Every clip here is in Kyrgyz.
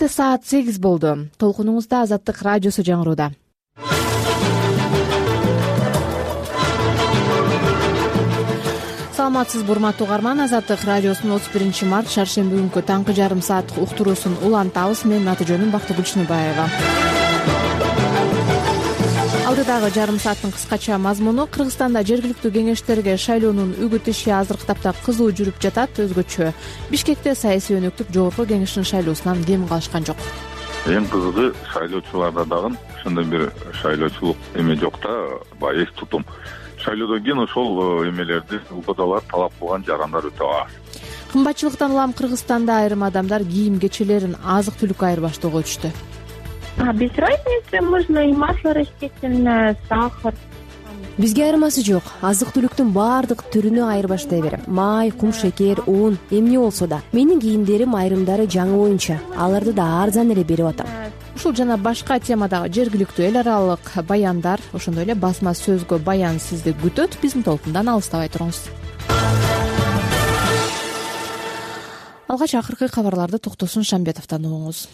Кенттте саат 8 болду. Толкунуңузда Азаттык радиосу жаңырууда. Саламатсызбы урматтуу угарман, Азаттык радиосунун 31 март шаршемби күнкү таңкы жарым сааттык уктуруусун улантабыз. Менин аты жөнүм Бактыгүл Чыныбаева. Алдыдагы жарым сааттын кыскача мазмуну: Кыргызстанда жергиликтүү кеңештерге шайлоонун үгүт иши азыркы тапта кызуу жүрүп жатат. Өзгөчө Бишкекте саясий өнөктүк жогорку кеңештин шайлоосунан кем калышкан жок. Эң кызыгы шайлоочуларда дагы ошондой бир шайлоочулук эме жок да, баягы эс тутум. Шайлоодон кийин ошол эмелерди УКМКалар талап кылган жарандар өтө аз. Кымбатчылыктан улам Кыргызстанда айрым адамдар кийим кечелерин, азык-түлүккө айырбаштоого өтүштү. Без разницы, можно и масло растительное, сахар. Бизге айырмасы жок. Азык-түлүктүн баардык түрүнө айырбаштай берем. Май, кум шекер, ун, эмне болсо да. Менин кийимдерим айрымдары жаңы боюнча. Аларды да арзан эле берип атам. Ушул жана башка темадагы жергиликтүү эл аралык баяндар, ошондой эле басма сөзгө баян сизди күтөт. Биздин толкундан алыстабай туруңуз. Алгач акыркы кабарларды Токтосун Шамбетовдон угуңуз.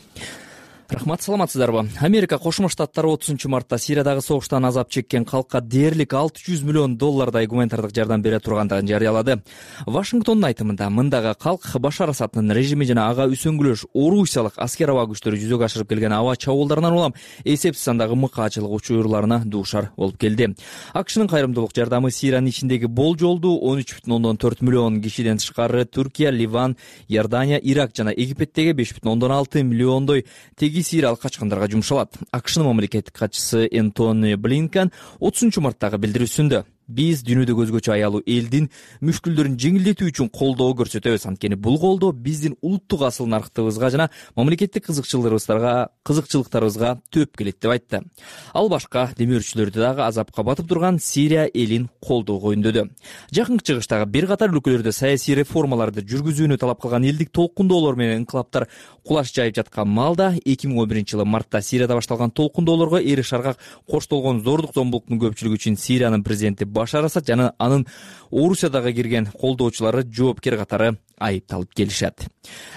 Рахмат, саламатсыздарбы? Америка Кошмо Штаттары 30-мартта Сириядагы согуштан азап чеккен калкка дээрлик $600 миллион гуманитардык жардам бере тургандыгын жарыялады. Вашингтондун айтымында мындагы калк Башар Асаддын режими жана ага үсөнгүлөш Орусиялык аскер аба күчтөрү жүзөгө ашырып келген аба чабуулдарынан улам эсепсиз сандагы мыкаачылык учурларына дуушар болуп келди. AQShnын кайрымдуулук жардамы Сириянын ичиндеги болжолдуу 13,4 миллион кишиден тышкары Түркия, Ливан, Иордания, Ирак жана Египеттеги 5,6 миллиондой сириялык качкындарга жумшалат. AQShnын мамлекеттик катчысы Энтони Блинкен 30-марттагы билдирүүсүндө: биз дүйнөдөгү өзгөчө аялуу элдин мүшкүлдөрүн жеңилдетүү үчүн колдоо көрсөтөбүз. Анткени бул колдоо биздин улуттук асыл нарктыгыбызга жана мамлекеттик кызыкчылыктарыбызга төп келет деп айтты. Ал башка демөөрчүлөрдү дагы азапка батып турган Сирия элин колдоого үндөдү. Жакынкы чыгыштагы бир катар өлкөлөрдө саясий реформаларды жүргүзүүнү талап кылган элдик толкундоолор менен инкылаптар кулаш жайып жаткан маалда 2011-жылы мартта Сирияда башталган толкундоолорго эри шаргак коштолгон зордук зомбулуктун көпчүлүгү үчүн Сириянын президенти Башар Асад жана анын Орусиядагы кирген колдоочулары жоопкер катары айыпталып келишет.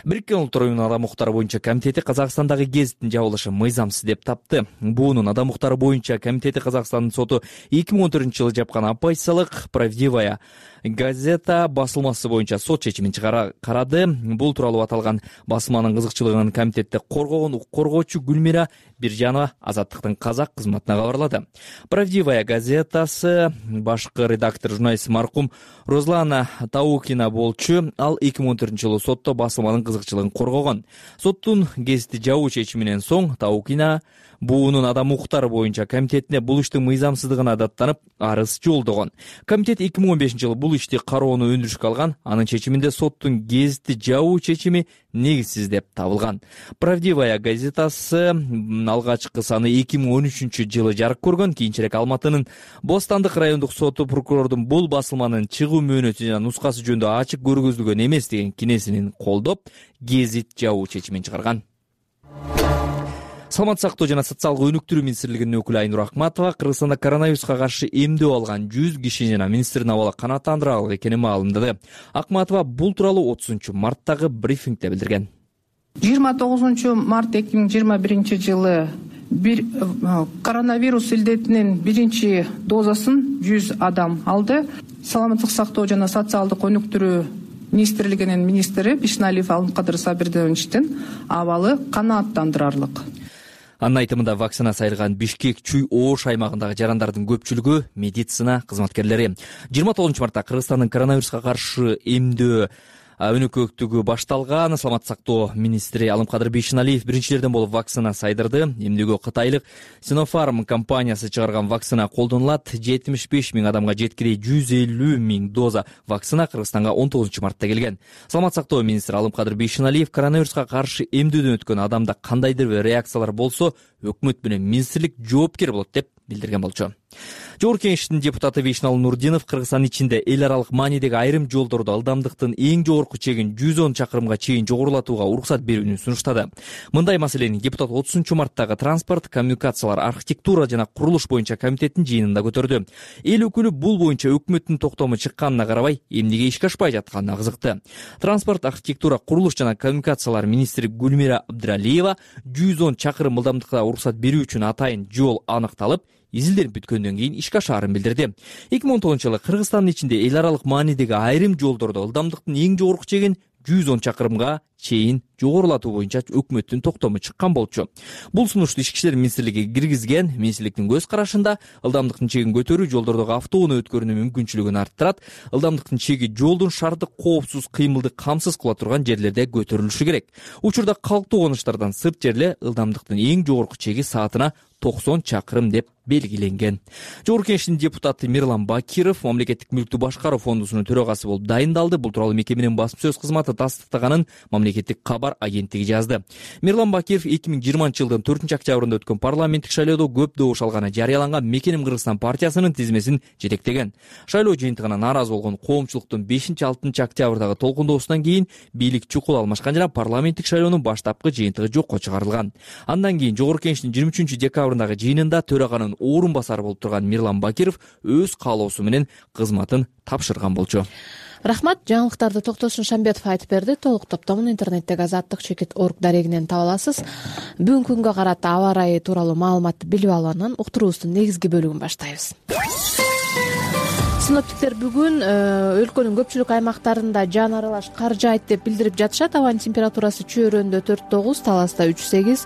Бириккен Улуттар Уюмунун Адам укуктары боюнча комитети Казакстандагы гезиттин жабылышы мыйзамсыз деп тапты. Буунун Адам укуктары боюнча комитети Казакстандын соту 2014-жылы жапкан оппозициялык «Правдивая газета» басылмасы боюнча сот чечимин карады. Бул тууралуу аталган басылманын кызыкчылыгын комитетте коргогон укук коргоочу Гүлмира Биржанова Азаттыктын казак кызматына кабарлады. «Правдивая газетасы» башкы редактор журналист маркум Розлана Таукина болчу. Ал 2014-жылы сотто басылманын кызыкчылыгын коргогон. Соттун гезити жабуу чечиминен соң Таукина буунун Адам укуктары боюнча комитетине бул иштин мыйзамсыздыгына даттанып арыз жолдогон. Комитет 2015-жылы бул ишти кароону өндүрүшкө алган. Анын чечиминде соттун гезити жабуу чечими негизсиз деп табылган. «Правдивая газетасы» алгачкы саны 2013-жылы жарык көргөн. Кийинчерээк Алматынын Бостандык райондук соту прокурордун бул басылманын чыгуу мөөнөтү жана нускасы жөнүндө ачык көргөзүлгөн эмес деген кинесинин колдоп, гезит жабуу чечимин чыгарган. Саламаттык сактоо жана социалдык өнүктүрүү министрлигинин өкүлү Айнур Акматова Кыргызстанда коронавируска каршы эмдөө алган 100 киши жана министрдин абалы канааттандырарлык экенин маалымдады. Акматова бул тууралуу 30-марттагы брифингде билдирген. 29 март 2021-жылы коронавирус илдетинин биринчи дозасын 100 адам алды. Саламаттык сактоо жана социалдык өнүктүрүү министрлигинин министри Бишналиев Алымкадыр Сабирдиновичтин абалы канааттандырарлык. Анын айтымында вакцина сайылган Бишкек, Чүй, Ош аймагындагы жарандардын көпчүлүгү медицина кызматкерлери. 29-мартта Кыргызстандын коронавируска каршы эмдөө өнөкөктүгү башталган. Саламаттык сактоо министри Алымкадыр Бишналиев биринчилерден болуп вакцина сайдырды. Эмдөөгө Кытайлык Sinopharm компаниясы чыгарган вакцина колдонулат. 75 000 адамга жеткирей 150 000 доза вакцина Кыргызстанга 19-мартта келген. Саламаттык сактоо министри Алымкадыр Бишналиев коронавируска каршы эмдөөдөн өткөн адамда кандайдыр бир реакциялар болсо, өкмөт менен министрлик жоопкер болот деп билдирген болчу. Жогорку Кеңештин депутаты Вейшнал Нурдинов Кыргызстан ичинде эл аралык маанидеги айрым жолдордо ылдамдыктын эң жогорку чегин 110 чакырымга чейин жогорулатууга уруксат берүүнү сунуштады. Мындай маселени депутат 30-марттагы транспорт, коммуникациялар, архитектура жана курулуш боюнча комитеттин жыйынында көтөрдү. Эл өкүлү бул боюнча өкмөттүн токтому чыкканына карабай, эмнеге ишке ашпай жатканына кызыкты. Транспорт, архитектура, курулуш жана коммуникациялар министри Гүлмира Абдралиева 110 чакырым ылдамдыкка уруксат берүү үчүн атайын жол аныкталып, изилденип бүткөндөн кийин ишке ашаарын билдирди. 2010-жылы Кыргызстандын ичинде эл аралык маанидеги айрым жолдордо ылдамдыктын эң жогорку чегин 110 чакырымга чейин жогорулатуу боюнча өкмөттүн токтому чыккан болчу. Бул сунушту Ички иштер министрлиги киргизген. Министрликтин көз карашында ылдамдыктын чегин көтөрүү жолдордогу автоунаа өткөрүүнүн мүмкүнчүлүгүн арттырат. Илдамдыктын чеги жолдун шаардык коопсуз кыймылды камсыз кыла турган жерлерде көтөрүлүшү керек. Учурда калктуу коңуштардан сырт жерде ылдамдыктын эң жогорку чеги саатына 90 чакырым деп белгиленген. Жогорку Кеңештин депутаты Мирлан Бакиров мамлекеттик мүлктү башкаруу фондусунун төрагасы болуп дайындалды. Бул тууралуу мекеменин басма сөз кызматы тастыктаганын мамлекеттик кабар агенттиги жазды. Мирлан Бакиров 2020-жылдын 4-октябрында өткөн парламенттик шайлоодо көп добуш алганы жарыяланган Мекеним Кыргызстан партиясынын тизмесин жетектеген. Шайлоо жыйынтыгына нааразы болгон коомчулуктун 5-6 октябрдагы толкундоосунан кийин бийлик чукул алмашкан жана парламенттик шайлоонун баштапкы жыйынтыгы жокко чыгарылган. Андан кийин Жогорку Кеңештин 23-декабрындагы жыйынында төраганын орун басары болуп турган Мирлан Бакиров өз каалоосу менен кызматын тапшырган болчу. Рахмат. Жаңылыктарды Токтосун Шамбетов айтып берди. Толук топтомун интернеттеги azadtik.org дарегинен таба аласыз. Бүгүнкү күнгө карата аба ырайы тууралуу маалыматты билип алып анан уктуруубуздун негизги бөлүгүн баштайбыз. Синоптиктер бүгүн өлкөнүн көпчүлүк аймактарында жан аралаш кар жаайт деп билдирип жатышат. Абанын температурасы Чөйрөндө 4-9, Таласта 3-8,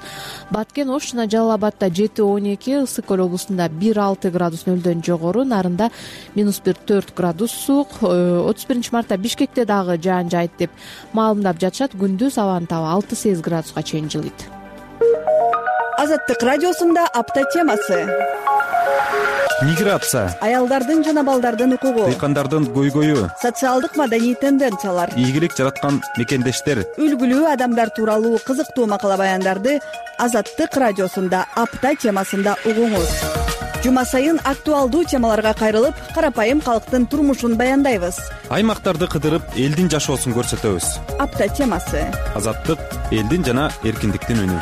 Баткен, Ош жана Жалал-Абадта 7-12, Ысык Көл облусунда 1-6 градус нөлдөн жогору, Нарында -1-4 градус суук. 31-мартта Бишкекте дагы жаан жаайт деп маалымдап жатышат. Күндүз абанын табы 6-8 градуска чейин жылыйт. Азаттык радиосунда апта темасы. Миграция, Аялдардын жана балдардын укугу, дыйкандардын көйгөйү, социалдык маданий тенденциялар, ийгилик жараткан мекендештер, үлгүлүү адамдар тууралуу кызыктуу макала баяндарды Азаттык радиосунда апта темасында угуңуз. Жума сайын актуалдуу темаларга кайрылып, карапайым калктын турмушун баяндайбыз. Аймактарды кыдырып, элдин жашоосун көрсөтөбүз. Апта темасы. Азаттык элдин жана эркиндиктин үнү.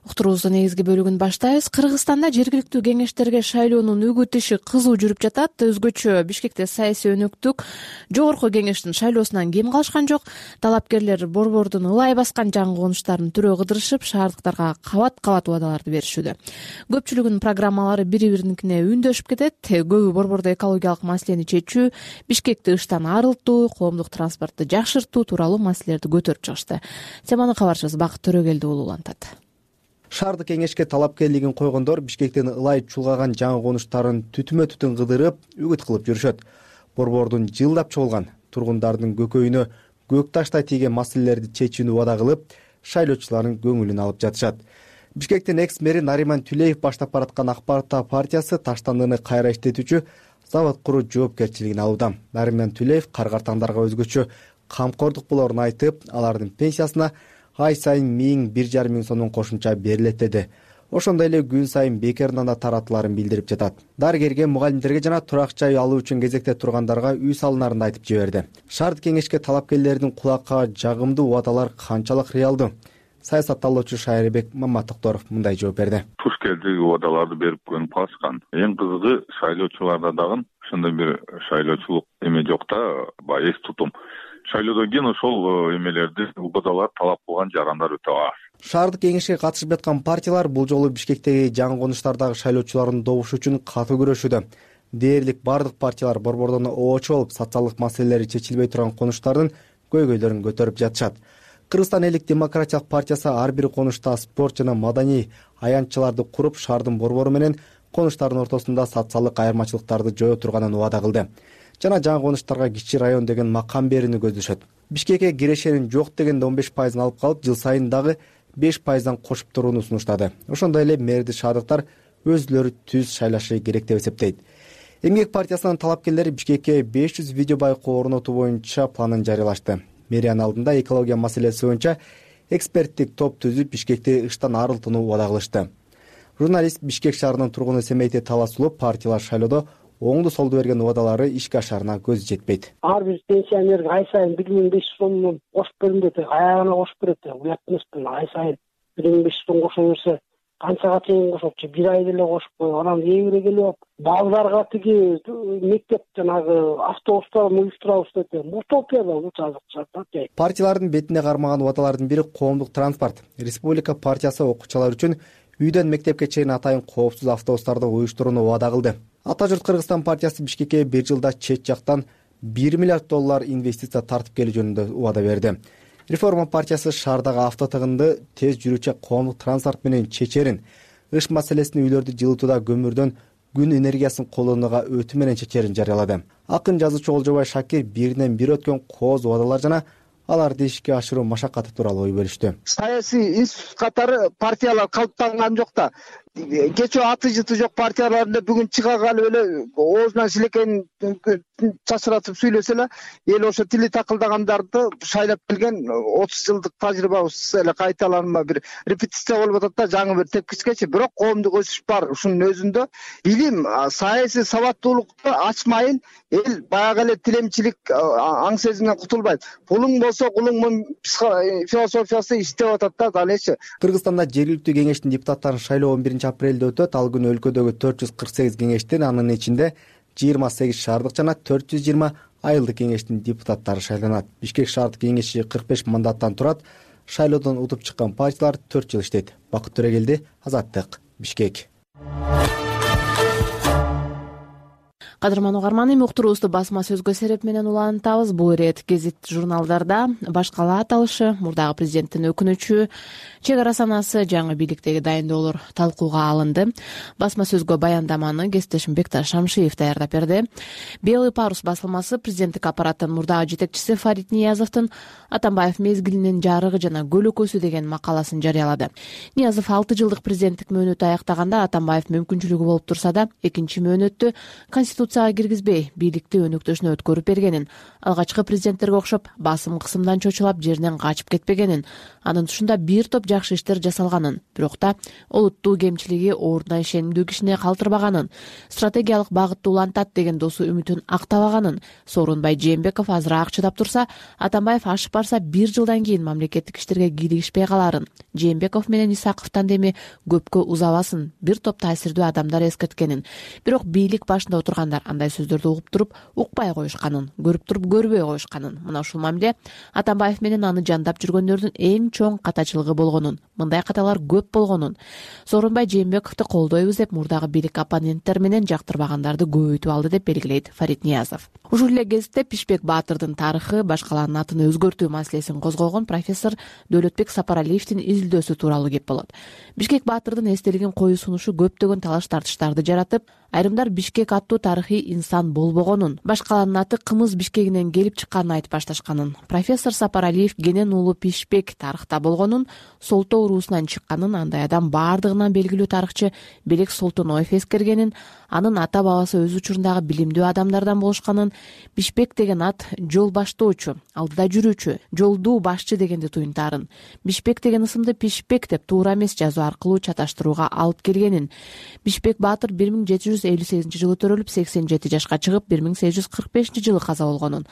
Уктуруубуздун негизги бөлүгүн баштайбыз. Кыргызстанда жергиликтүү кеңештерге шайлоонун үгүт иши кызуу жүрүп жатат. Өзгөчө Бишкекте саясий өнөктүк Жогорку Кеңештин шайлоосунан кем калышкан жок. Талапкерлер борбордун ылай баскан жаңы конуштарын түрөө кыдырышып, шаардыктарга кабат-кабат убадаларды беришүүдө. Көпчүлүгүнүн программалары бири-бириникине үндөшүп кетет. Көбү борбордо экологиялык маселени чечүү, Бишкекти ыштан арылтуу, коомдук транспортду жакшыртуу тууралуу маселелерди көтөрүп чыгышты. Теманы кабарчыбыз Бакыт Төрөгелди улантат. Шаардык кеңешке талапкерлигин койгондор Бишкектен ылай чулгаган жаңы конуштарын түтүмө-түтүн кыдырып, үгүт кылып жүрүшөт. Борбордун жылдап чогулган тургундардын көкөйүнө көк таштай тийген маселелерди чечүүнү убада кылып, шайлоочулардын көңүлүн алып жатышат. Бишкектин экс-мэри Нариман Түлеев баштап бараткан Ак Парта партиясы таштандыны кайра иштетүүчү завод куруу жоопкерчилигин алууда. Нариман Түлеев каргартаңдарга өзгөчө камкордук болоорун айтып, алардын пенсиясына ай сайын 1,5 миң сомдон кошумча берилет деди. Ошондой эле күн сайын бекерден да таратыларын билдирип жатат. Дарыгерге, мугалимдерге жана турак жай алуу үчүн кезекте тургандарга үй салынарын айтып жиберди. Шаардык кеңешке талапкерлердин кулакка жагымдуу убадалар канчалык реалдуу? Саясатталуучу Шайрыбек Маматокторов мындай жооп берди. Туш келди, убадаларды берип көнүп калышкан. Эң кызыгы шайлоочуларда дагы ошондой бир шайлоочулук эме жок да, баягы эс тутум. Шайлоодон кийин ошол эмелерди убадалар талап кылган жарандар өтө аз. Шаардык кеңешке катышып жаткан партиялар бул жолу Бишкектеги жаңы конуштардагы шайлоочулардын добушу үчүн катуу күрөшүүдө. Дээрлик бардык партиялар борбордон оочу болуп, социалдык маселелери чечилбей турган конуштардын көйгөйлөрүн көтөрүп жатышат. Кыргызстан элдик демократиялык партиясы ар бир конушта спорт жана маданий аянтчаларды куруп, шаардын борбору менен конуштардын ортосунда социалдык айырмачылыктарды жое турганын убада кылды. Жана жаңы конуштарга кичи район деген макам берүүнү көздөшөт. Бишкекке кирешенин жок дегенде 15% алып калып, жыл сайын дагы 5%дан кошуп турууну сунуштады. Ошондой эле мэрди шаардыктар өзүлөрү түз шайлашы керек деп эсептейт. Эмгек партиясынын талапкерлери Бишкекке 500 видео байкоо орнотуу боюнча планын жарыялашты. Мэриянын алдында экология маселеси боюнча эксперттик топ түзүп, Бишкекти ыштан арылтууну убада кылышты. Журналист Бишкек шаарынын тургуну Семейти Таласулов партиялар шайлоодо оңду солду берген убадалары ишке ашаарына көзү жетпейт. Ар бир пенсионерге ай сайын 1500 сомдон кошуп берем деп аягына кошуп берет. Уят эмеспи? Ай сайын 1500 сом кошо берсе канчага чейин кошопчу? Бир ай деле кошуп коюп, анан эбире келип балдарга тиги мектеп жанагы автобустарын уюштурабыз деп. Утопия да бул жазыкча. Партиялардын бетине кармаган убадалардын бири коомдук транспорт. Республика партиясы окуучулар үчүн үйдөн мектепке чейин атайын коопсуз автобустарды уюштурууну убада кылды. Ата журт Кыргызстан партиясы Бишкекке бир жылда чет жактан $1 миллиард инвестиция тартып келүү жөнүндө убада берди. Реформа партиясы шаардагы автотыгынды тез жүрүүчү коомдук транспорт менен чечерин, ыш маселесин үйлөрдү жылытууда көмүрдөн күн энергиясын колдонууга өтүү менен чечерин жарыялады. Акын жазуучу Олжобай Шакир биринен бир өткөн кооз убадалар жана аларды ишке ашыруу машакаты тууралуу ой бөлүштү. Саясий институт катары партиялар калыптанган жок да. Кечээ аты жыты жок партияларында бүгүн чыга калып эле оозунан шилекейин чачыратып сүйлөсө эле эл ошо тили такылдагандарды шайлап келген 30 жылдык тажрыйбабыз эле кайталанма бир репетиция болуп атат да, жаңы бир тепкичкечи. Бирок коомдук өсүш бар. Ушунун өзүндө билим, саясий сабаттуулукту ачмайын эл баягы эле тилемчилик аң сезимден кутулбайт. Пулуң болсо кулуң философиясы иштеп атат да далечи. Кыргызстанда жергиликтүү кеңештин депутаттарын шайлоо 11 апрелде өтөт. Ал күнү өлкөдөгү 448 кеңештин, анын ичинде 28 шаардык жана 420 айылдык кеңештин депутаттары шайланат. Бишкек шаардык кеңеши 45 мандаттан турат. Шайлоодон утуп чыккан партиялар 4 жыл иштейт. Бакыт Төрегелди, Азаттык, Бишкек. Кадырман угарман, эми уктуруубузду басма сөзгө сереп менен улантабыз. Бул ирет гезит журналдарда баш кала аталышы, мурдагы президенттин өкүнүчү, чек ара санасы, жаңы бийликтеги дайындоолор талкууга алынды. Басма сөзгө баяндаманы кесиптешим Бекташ Шамшиев даярдап берди. Белый парус басылмасы президенттик аппараттын мурдагы жетекчиси Фарид Ниязовдун Атамбаев мезгилинин жарыгы жана көлөкөсү деген макаласын жарыялады. Ниязов 6 жылдык президенттик мөөнөтү аяктаганда Атамбаев мүмкүнчүлүгү болуп турса да, экинчи мөөнөттү конституцияга киргизбей бийликти өнөктөшүнө өткөрүп бергенин, алгачкы президенттерге окшоп басым кысымдан чочулап жеринен качып кетпегенин, анын тушунда бир топ жакшы иштер жасалганын, бирок да олуттуу кемчилиги ордуна ишенимдүү кишине калтырбаганын, стратегиялык багытты улантат деген досу үмүтүн актабаганын, Сооронбай Жээнбеков азыраак чыдап турса, Атамбаев ашып барса 1 жылдан кийин мамлекеттик иштерге кийлигишпей каларын, Жээнбеков менен Исаковдон деми көпкө узабасын бир топ таасирдүү адамдар эскерткенин, бирок бийлик башында отургандар андай сөздөрдү угуп туруп укпай коюшканын, көрүп туруп көрбөй коюшканын, мына ушул мамиле Атамбаев менен аны жандап жүргөндөрдүн эң чоң катачылыгы болгонун, мындай каталар көп болгонун, Сооронбай Жээнбековду колдойбуз деп мурдагы бийлик оппоненттер менен жактырбагандарды көбөйтүп алды деп белгилейт Фарид Ниязов. Ушул эле кезде Пишпек Баатырдын тарыхы, баш калаанын атын өзгөртүү маселесин козгогон профессор Дөөлөтбек Сапаралиевдин изилдөөсү тууралуу кеп болот. Бишкек Баатырдын эстелигин коюу сунушу көптөгөн талаш тартыштарды жаратып, айрымдар Бишкек аттуу тарыхый инсан болбогонун, баш калаанын аты Кымыз Бишкегинен келип чыкканын айтып башташканын, профессор Сапаралиев Генен уулу Пишпек тарыхта болгонун, Солтоо уруусунан чыкканын, андай адам баардыгынан белгилүү тарыхчы Белек Солтоноев эскергенин, анын ата бабасы өз учурундагы билимдүү адамдардан болушканын, Бишпек деген ат жол баштоочу, алдыда жүрүүчү, жолдуу башчы дегенди туюнтаарын, Бишпек деген ысымды Пишпек деп туура эмес жазуу аркылуу чаташтырууга алып келгенин, Бишпек Баатыр 1758-жылы төрөлүп 87 жашка чыгып 1845-жылы каза болгонун,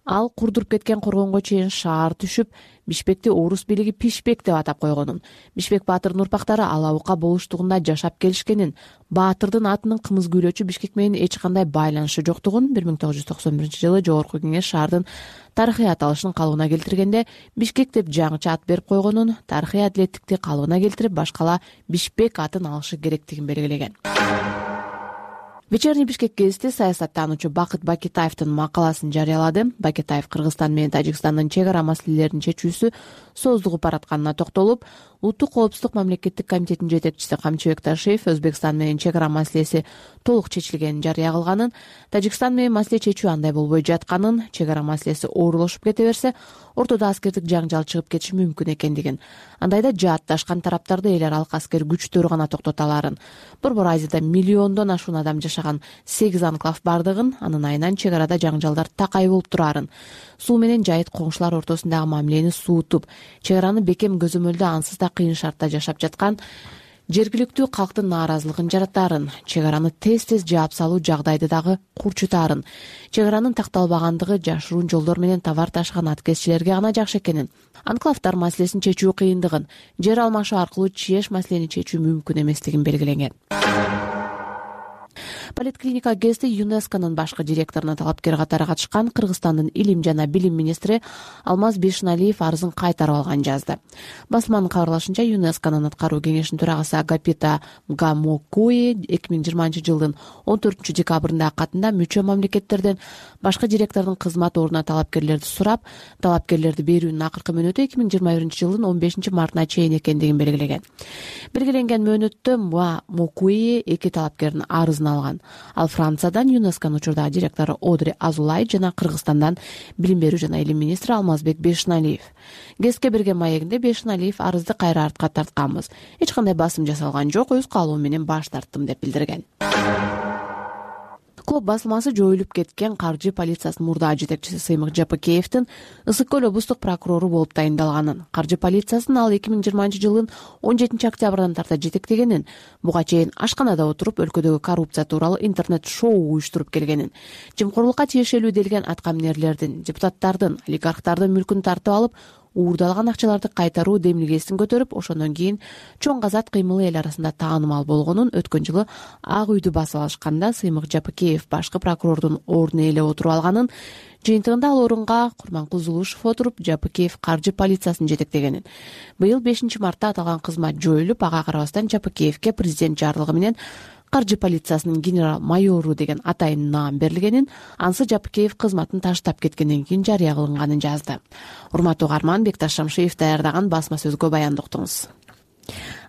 ал курдуруп кеткен коргонго чейин шаар түшүп, Бишпекти орус бийлиги Пишпек деп атап койгонун, Бишпек Баатырдын урпактары алабука болуштугунда жашап келишкенин, Баатырдын атынын кымыз күйлөөчү Бишкек менен эч кандай байланышы жоктугун 1991-жылы Жогорку Кеңеш шаардын тарыхый аталышын калыбына келтиргенде Бишкек деп жаңыча ат берип койгонун, тарыхый адилеттикти калыбына келтирип баш кала Бишпек атын алышы керектигин белгилеген. Вечерний Бишкек гезити саясаттануучу Бакыт Бакетаевдин макаласын жарыялады. Бакетаев Кыргызстан менен Тажикстандын чек ара маселелеринин чечүүсү сооздугуп баратканына токтолуп, Улуттук коопсуздук мамлекеттик комитетинин жетекчиси Камчыбек Ташиев Өзбекстан менен чек ара маселеси толук чечилгенин жарыя кылганын, Тажикстан менен маселе чечүү андай болбой жатканын, чек ара маселеси оорулашып кете берсе, ортодо аскердик жаңжал чыгып кетиши мүмкүн экендигин, андайда жаатташкан тараптарды эл аралык аскер күчтөр гана токтото аларын, Борбор Азияда миллиондон ашуун адам жашаган 8 анклав бардыгын, анын айынан чек арада жаңжалдар такай болуп турарын, суу менен жайыт коңшулар ортосундагы мамилени суутуп, чек араны бекем көзөмөлдө ансыз да кыйын шартта жашап жаткан, жергиликтүү калктын нааразылыгын жаратаарын, чек араны тез жаап салуу жагдайды дагы курчутаарын, чек аранын такталбагандыгы жашыруун жолдор менен товар ташыган аткезчилерге гана жакшы экенин, анклавдар маселесин чечүү кыйындыгын, жер алмашуу аркылуу чееш маселени чечүү мүмкүн эместигин белгилеген. Политклиника ГЭСти ЮНЕСКОнун башкы директоруна талапкер катары катышкан Кыргызстандын илим жана билим министри Алмаз Бешналиев арызын кайтарып алганын жазды. Басылманын кабарлашынча, ЮНЕСКонун аткаруу кеңешинин төрагасы Агапита Гамокуи 2020-жылдын 14 декабрындагы катында мүчө мамлекеттерден башкы директордун кызмат ордуна талапкерлерди сурап, талапкерлерди берүүнүн акыркы мөөнөтү 2021-жылдын 15 мартына чейин экендигин белгилеген. Белгиленген мөөнөттө Мокуи 2 талапкердин арызын алган. Ал Франциядан ЮНЕСКонун учурдагы директору Одри Азулай жана Кыргызстандан билим берүү жана илим министри Алмазбек Бешналиев. ГЭСке берген маегинде Бешналиев арызды кайра артка тартканбыз. Эч кандай басым жасалган жок, өз каалоом менен баш тарттым деп билдирген. Клуб басылмасы жоюлуп кеткен каржы полициясынын мурдагы жетекчиси Сыймык Жапыкеевдин Ысык көл облустук прокурору болуп тайындалганын, каржы полициясынын ал 2020-жылдын 17 октябрдан тарта жетектегенин, буга чейин ашканада отуруп өлкөдөгү коррупция тууралуу интернет-шоу уюштуруп келгенин, жемкорлукка тиешелүү делген аткаминерлердин, депутаттардын, олигархтардын мүлкүн тартып алып, уурдалган акчаларды кайтаруу демилгесин көтөрүп, ошондон кийин чоң казат кыймылы эл арасында таанымал болгонун өткөн жылы Ак үйдү басып алышканда Сыймык Жапыкеев башкы прокурордун ордуна эле отуруп алганын, жыйынтыгында ал орунга Курманкул Зулушев отуруп, Жапыкеев каржы полициясын жетектегенин. Быйыл 5 мартта аталган кызмат жоюлуп, ага карабастан Жапыкеевке президент жарлыгы менен каржы полициясынын генерал-майору деген атайын наам берилгенин, ансы Жапыкеев кызматын таштап кеткенден кийин жарыя кылынганын жазды. Урматтуу угарман, Бекташ Шамшиев даярдаган басма сөзгө баяндыктыңыз.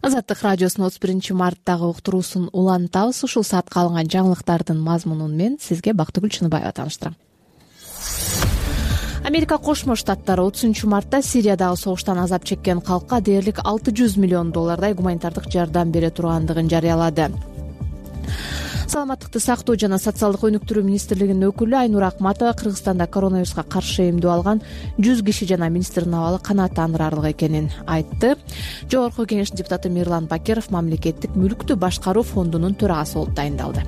Азаттык радиосунун 31 марттагы уктуруусун улантабыз. Ушул саатка алынган жаңылыктардын мазмунун мен сизге Бактыгүл Чыныбаева тааныштырам. Америка Кошмо Штаттары 30 мартта Сириядагы согуштан азап чеккен калкка дээрлик $600 миллион гуманитардык жардам бере тургандыгын жарыялады. Саламаттыкты сактоо жана социалдык өнүктүрүү министрлигинин өкүлү Айнура Акматова Кыргызстанда коронавируска каршы эмдөө алган 100 киши жана министрдин абалы канааттандырарлык экенин айтты. Жогорку кеңештин депутаты Мирлан Бакиров мамлекеттик мүлктү башкаруу фондунун төрагасы болуп тайындалды.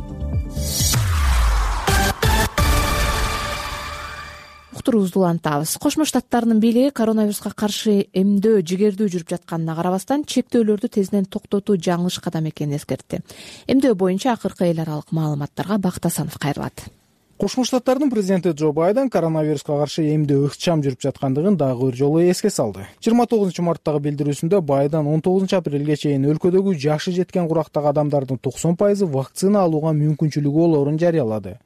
Уктуруубузду улантабыз. Кошмо Штаттарынын бийлиги коронавируска каршы эмдөө жигердүү жүрүп жатканына карабастан чектөөлөрдү тезинен токтотуу жаңылыш кадам экенин эскертти. Эмдөө боюнча акыркы эл аралык маалыматтарга Бакыт Асанов кайрылат. Кошмо Штаттардын президенти Джо Байден коронавируска каршы эмдөө ыкчам жүрүп жаткандыгын дагы бир жолу эске салды. 29 марттагы билдирүүсүндө Байден 19 апрелге чейин өлкөдөгү жашы жеткен курактагы адамдардын 90% вакцина алууга мүмкүнчүлүгү болоорун жарыялады.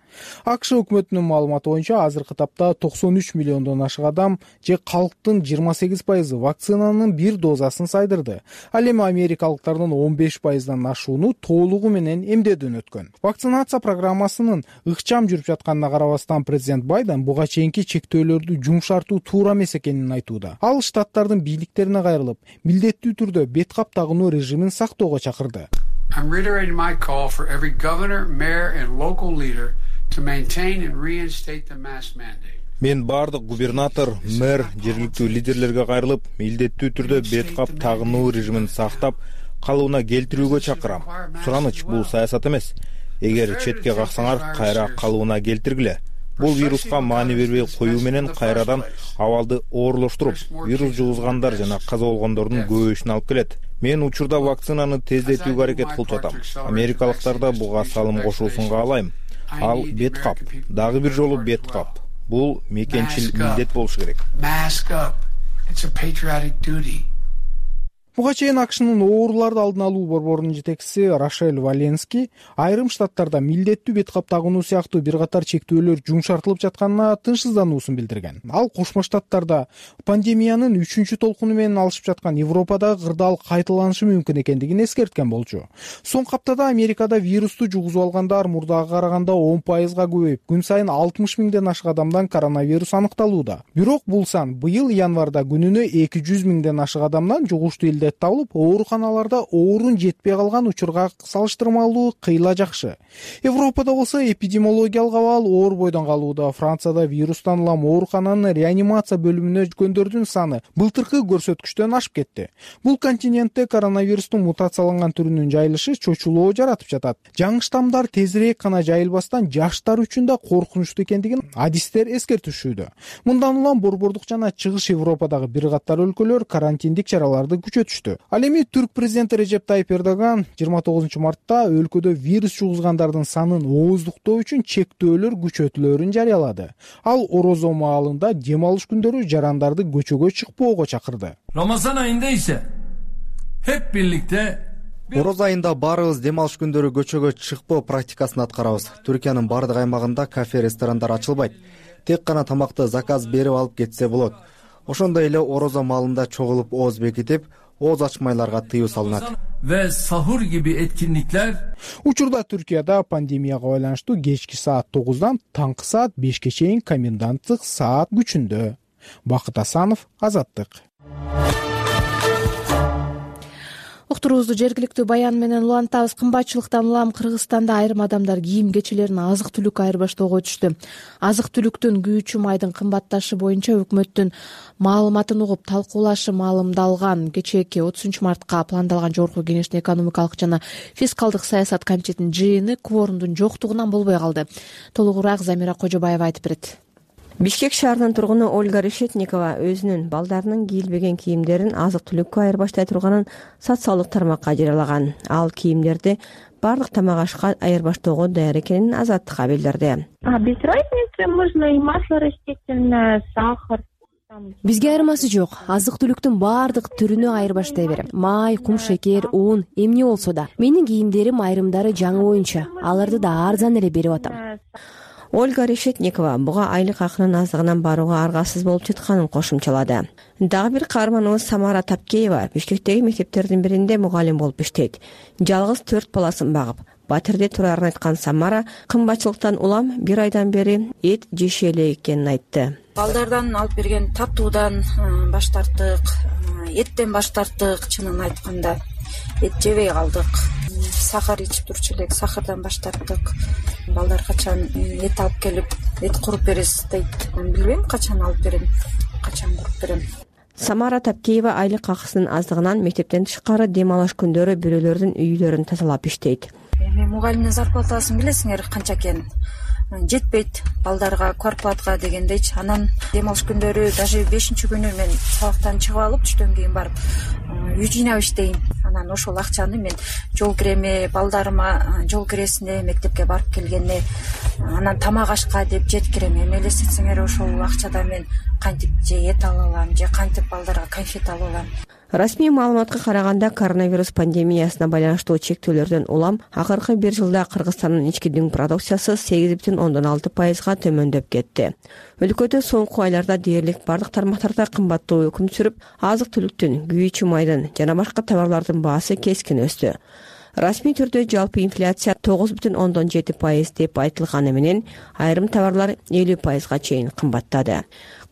АКШ өкмөтүнүн маалыматы боюнча азыркы тапта 93 миллиондон ашык адам же калктын 28% вакцинанын бир дозасын сайдырды. Ал эми америкалыктардын 15%дан ашууну толугу менен эмдөөдөн өткөн. Вакцинация программасынын ыкчам жүрүп жатканына карабастан президент Байден буга чейинки чектөөлөрдү жумшартуу туура эмес экенин айтууда. Ал штаттардын бийликтерине кайрылып, милдеттүү түрдө бет кап тагынуу режимин сактоого чакырды. I'm reiterating my call for every governor, mayor and local leader to maintain and reinstate the mask mandate. Мен бардык губернатор, мэр, жергиликтүү лидерлерге кайрылып, милдеттүү түрдө бет кап тагынуу режимин сактап, калыбына келтирүүгө чакырам. Сураныч бул саясат эмес. Эгер четке каксаңар, кайра калыбына келтиргиле. Бул вируска маани бербей коюу менен кайрадан абалды оорлоштуруп, вирус жугузгандар жана каза болгондордун көбөйүшүнө алып келет. Мен учурда вакцинаны тездетүүгө аракет кылып жатам. Америкалыктар да буга салым кошуусун каалайм. Ал бет кап, дагы бир жолу бет кап. Бул мекенчил милдет болушу керек. Буга чейин АКШнын ооруларды алдын алуу борборунун жетекчиси Рошель Валенский айрым штаттарда милдеттүү бет кап тагынуу сыяктуу бир катар чектөөлөр жумшартылып жатканына тынчсыздануусун билдирген. Ал Кошмо Штаттарда пандемиянын 3-чү толкуну менен алышып жаткан Европадагы кырдаал кайталанышы мүмкүн экендигин эскерткен болчу. Соңку аптада Америкада вирусту жугузуп алгандар мурдага караганда 10% көбөйүп, күн сайын 60 миңден ашык адамдан коронавирус аныкталууда. Бирок бул сан быйыл январда күнүнө 200 миңден ашык адамдан жугуштуу илде илет табылып, ооруканаларда оорун жетпей калган учурга салыштырмалуу кыйла жакшы. Европада болсо эпидемиологиялык абал оор бойдон калууда. Францияда вирустан улам оорукананын реанимация бөлүмүнө жүргөндөрдүн саны былтыркы көрсөткүчтөн ашып кетти. Бул континентте коронавирустун мутацияланган түрүнүн жайылышы чочулоо жаратып жатат. Жаңы штаммдар тезирээк гана жайылбастан жаштар үчүн да коркунучтуу экендигин адистер эскертишүүдө. Мындан улам борбордук жана чыгыш Европадагы бир катар өлкөлөр карантиндик чараларды күчөтүштү. Ал эми Түрк президенти Режеп Тайип Эрдоган 29 мартта өлкөдө вирус жугузгандардын санын ооздуктоо үчүн чектөөлөр күчөтүлөөрүн жарыялады. Ал орозо маалында дем алыш күндөрү жарандарды көчөгө чыкпоого чакырды. Рамазан айында исе hep birlikte Ороз айында баарыбыз дем алыш күндөрү көчөгө чыкпоо практикасын аткарабыз. Түркиянын бардык аймагында кафе, ресторандар ачылбайт. Тек гана тамакты заказ берип алып кетсе болот. Ошондой эле орозо маалында чогулуп ооз бекитип, ооз ачмайларга тыюу салынат. Ve sahur gibi etkinlikler. Учурда Түркияда пандемияга байланыштуу кечки саат 9-дан таңкы саат 5-ке чейин коменданттык саат күчүндө. Бакыт Асанов, Азаттык. Уктуруубузду жергиликтүү баян менен улантабыз. Кымбатчылыктан улам Кыргызстанда айрым адамдар кийим кечелерин азык-түлүк айырбаштоого түштү. Азык-түлүктүн күйүүчү майдын кымбатташы боюнча өкмөттүн маалыматын угуп талкуулашы маалымдалган кечээки 30 мартка пландалган жогорку кеңештин экономикалык жана фискалдык саясат комитетинин жыйыны кворумдун жоктугунан болбой калды. Толугураак Замира Кожобаева айтып берет. Бишкек шаарынын тургуну Ольга Решетникова өзүнүн балдарынын кийилбеген кийимдерин азык-түлүккө айырбаштай турганын социалдык тармакка жарыялаган. Ал кийимдерди баардык тамак ашка айырбаштоого даяр экенин Азаттыкка билдирди. Без разницы, можно и масло растительное, сахар. Бизге айырмасы жок. Азык-түлүктүн баардык түрүнө айырбаштай берем. Май, кум шекер, ун, эмне болсо да. Менин кийимдерим айрымдары жаңы боюнча. Аларды да арзан эле берип атам. Ольга Решетникова буга айлык акынын аздыгынан барууга аргасыз болуп жатканын кошумчалады. Дагы бир каарманыбыз Самара Тапкеева мектептеги мектептердин биринде мугалим болуп иштейт. Жалгыз 4 баласын багып, батирде турарын айткан Самара кымбатчылыктан улам 1 айдан бери эт жеше элек экенин айтты. Балдардан алып берген татуудан баш тарттык, эттен баш тарттык, чынын айтканда. Эт жебей калдык. Сахар ичип турчу элек, сахардан баш тарттык. Балдар качан эт алып келип, эт куруп бересиз дейт. Билбейм качан алып берем, качан куруп берем. Самара Тапкеева айлык акысынын аздыгынан мектептен тышкары дем алыш күндөрү бирөөлөрдүн үйлөрүн тазалап иштейт. Эми мугалимдин зарплатасын билесиңер канча экенин. Жетпейт балдарга, квартплатка дегендейчи. Анан дем алыш күндөрү даже 5-күнү мен сабактан чыгып алып, түштөн кийин барып үй жыйнап иштейм. Анан ошол акчаны мен жол киреме, балдарыма жол киресине, мектепке барып келгенине, анан тамак ашка деп жеткирем. Эми элестетсеңер ошол акчада мен кантип же эт ала алам, же кантип балдарга конфет алып алам. Расмий маалыматка караганда коронавирус пандемиясына байланыштуу чектөөлөрдөн улам акыркы 1 жылда Кыргызстандын ички дүң продукциясы 8,6% төмөндөп кетти. Өлкөдө соңку айларда дээрлик бардык тармактарда кымбаттоо өкүм сүрүп, азык-түлүктүн, күйүүчү майдын жана башка товарлардын баасы кескин өстү. Расмий түрдө жалпы инфляция 9,7% деп айтылганы менен айрым товарлар 50%га чейин кымбаттады.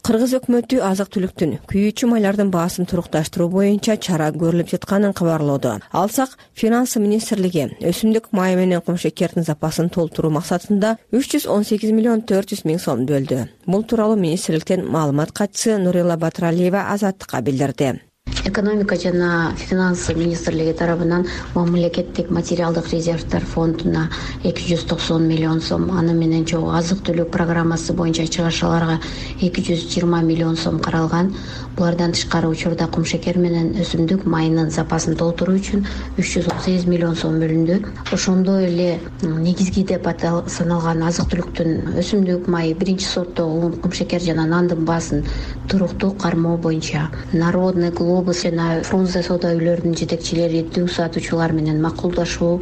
Кыргыз өкмөтү азык-түлүктүн, күйүүчү майлардын баасын турукташтыруу боюнча чара көрүлүп жатканын кабарлоодо. Алсак, Финанс министрлиги өсүмдүк майы менен кум шекердин запасын толтуруу максатында 318 миллион 400 миң сом бөлдү. Бул тууралуу министрликтен маалымат катчысы Нурилла Батыралиева Азаттыкка билдирди. Экономика жана финанс министрлиги тарабынан мамлекеттик материалдык резервдер фондуна 290 миллион сом, аны менен чогуу азык-түлүк программасы боюнча чыгарышаларга 220 миллион сом каралган. Булардан тышкары учурда кум шекер менен өсүмдүк майынын запасын толтуруу үчүн 318 миллион сом бөлүндү. Ошондой эле негизги деп саналган азык-түлүктүн өсүмдүк майы, биринчи сортто кум шекер жана нандын баасын туруктуу кармоо боюнча Народный Глобус жана Фрунзе соода үйлөрүнүн жетекчилери дүң сатуучулар менен макулдашуу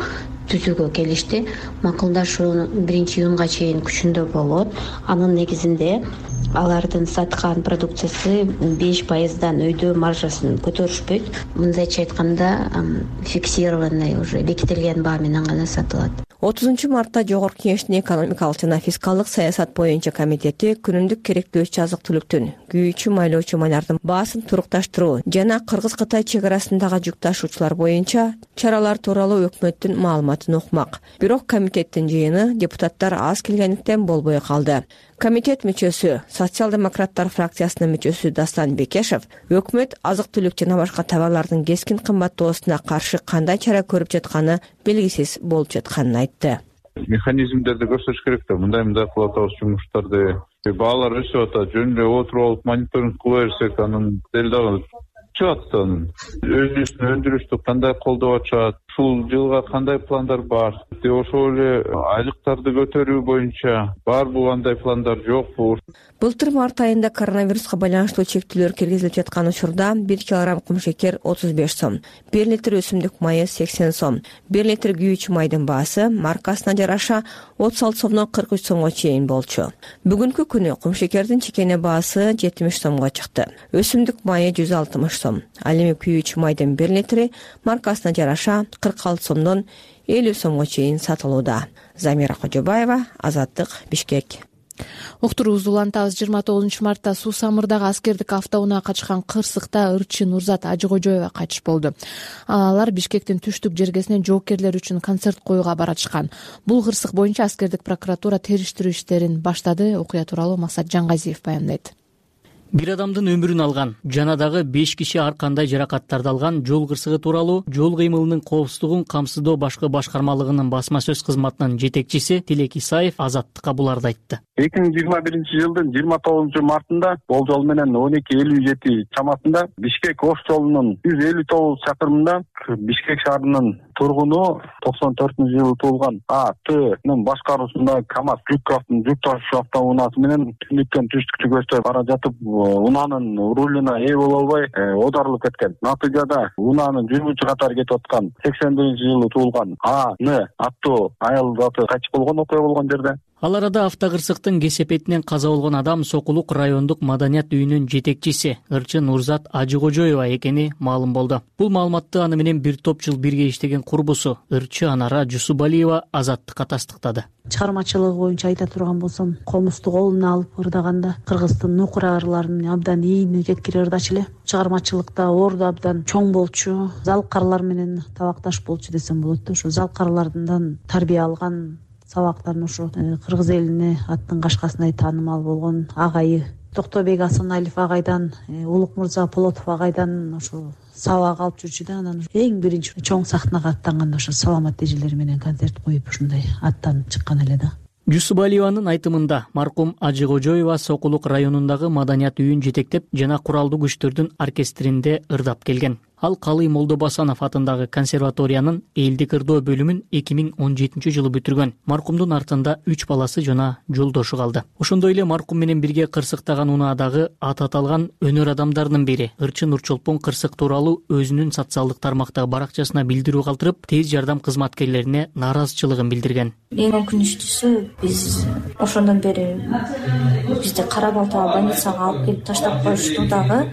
түзүүгө келишти. Макулдашуу 1-июнга чейин күчүндө болот. Анын негизинде алардын саткан продукциясы 5%дан өйдөө маржасын көтөрүшпөйт. Мындайча айтканда, фиксированный уже бекитилген баа менен гана сатылат. 30 мартта Жогорку Кеңештин экономикалык жана фискалдык саясат боюнча комитети күнүмдүк керектөөчү азык-түлүктүн, күйүүчү майлоочу малардын баасын турукташтыруу жана Кыргыз-Кытай чек арасындагы жүк ташуучулар боюнча чаралар тууралуу өкмөттүн маалыматын укмак. Бирок комитеттин жыйыны депутаттар аз келгендиктен болбой калды. Комитет мүчөсү, социал-демократтар фракциясынын мүчөсү Дастан Бекешев өкмөт азык-түлүк жана башка товарлардын кескин кымбаттоосуна каршы кандай чара көрүп жатканы белгисиз болуп жатканын айтты. Механизмдерди көрсөтүш керек да, мындай кылып атабыз жумуштарды. Баалар өсүп атат, жөн эле отуруп алып мониторинг кыла берсек, анын дел дагы чыгат да. Өзүбүздүн өндүрүштү кандай колдоп атышат, ушул жылга кандай пландар бар, ошол эле айлыктарды көтөрүү боюнча барбы, кандай пландар жокпу? Былтыр март айында коронавируска байланыштуу чектөөлөр киргизилип жаткан учурда 1 килограмм кумшекер 35 сом, 1 литр өсүмдүк майы 80 сом, 1 литр күйүүчү майдын баасы маркасына жараша 36 сомдон 43 сомго чейин болчу. Бүгүнкү күнү кумшекердин чекене баасы 70 сомго чыкты. Өсүмдүк майы 160 сом. Ал эми күйүүчү майдын 1 литри маркасына жараша 46 сомдон 50 сомго чейин сатылууда. Замира Кожобаева, Азаттык, Бишкек. Уктуруубузду улантабыз. 29 мартта Суу Самырдагы аскердик автоунаага качкан кырсыкта ырчы Нурзат Ажыкожоева кайтыш болду. Алар Бишкектин түштүк жергесинен жоокерлер үчүн концерт коюуга баратышкан. Бул кырсык боюнча аскердик прокуратура териштирүү иштерин баштады. Окуя тууралуу Максат Жангазиев баяндайт. Бир адамдын өмүрүн алган жана дагы 5 киши ар кандай жаракаттарды алган жол кырсыгы тууралуу жол кыймылынын коопсуздугун камсыздоо башкы башкармалыгынын басма сөз кызматынын жетекчиси Тилек Исаев Азаттыкка буларды айтты. 2021-жылдын 29 мартында болжол менен 12:57 чамасында Бишкек Ош жолунун 159 чакырымында Бишкек шаарынын тургуну 94-жылы туулган А.Т.нын башкаруусунда КАМАЗ жүк ташуучу автоунаасы менен түндүктөн түштүккө көчтө бара жатып унаанын рулуна ээ боло албай оодарылып кеткен. Натыйжада унаанын жүргүчү катары кетип аткан 81-жылы туулган А.Н. аттуу аял заты кайтыш болгон окуя болгон жерде. Ал арада автокырсыктын кесепетинен каза болгон адам Сокулук райондук маданият үйүнүн жетекчиси ырчы Нурзат Ажыкожоева экени маалым болду. Бул маалыматты аны менен бир топ жыл бирге иштеген курбусу ырчы Анара Жусубалиева Азаттыкка тастыктады. Чыгармачылыгы боюнча айта турган болсом, комузду колуна алып ырдаганда Кыргыздын нукура ырларын абдан ийин жеткире ырдачу эле. Чыгармачылыкта орду абдан чоң болчу, залкарлар менен табакташ болчу десем болот. Ошо залкарлардан тарбия алган, сабактарын ушу кыргыз элине аттын кашкасындай таанымал болгон агайы Токтобек Асаналиев агайдан, Улукмурза Полотов агайдан ошо сабак алып жүрчү да, анан эң биринчи чоң сахнага аттанганда ошо саламат эжелер менен концерт коюп ушундай аттанып чыккан эле да. Жусубалиеванын айтымында маркум Ажыкожоева Сокулук районундагы маданият үйүн жетектеп жана куралдуу күчтөрдүн оркестринде ырдап келген. Ал Калый Молдобасанов атындагы консерваториянын элдик ырдоо бөлүмүн 2017 жылы бүтүргөн. Маркумдун артында 3 баласы жана жолдошу калды. Ошондой эле маркум менен бирге кырсыктаган унаадагы аты аталган өнөр адамдарынын бири ырчы Нурчолпон кырсык тууралуу өзүнүн социалдык тармактагы баракчасына билдирүү калтырып, тез жардам кызматкерлерине нааразычылыгын билдирген. Эң өкүнүчтүүсү, биз ошондон бери бизди Кара Балтага больницага алып келип таштап коюшту дагы,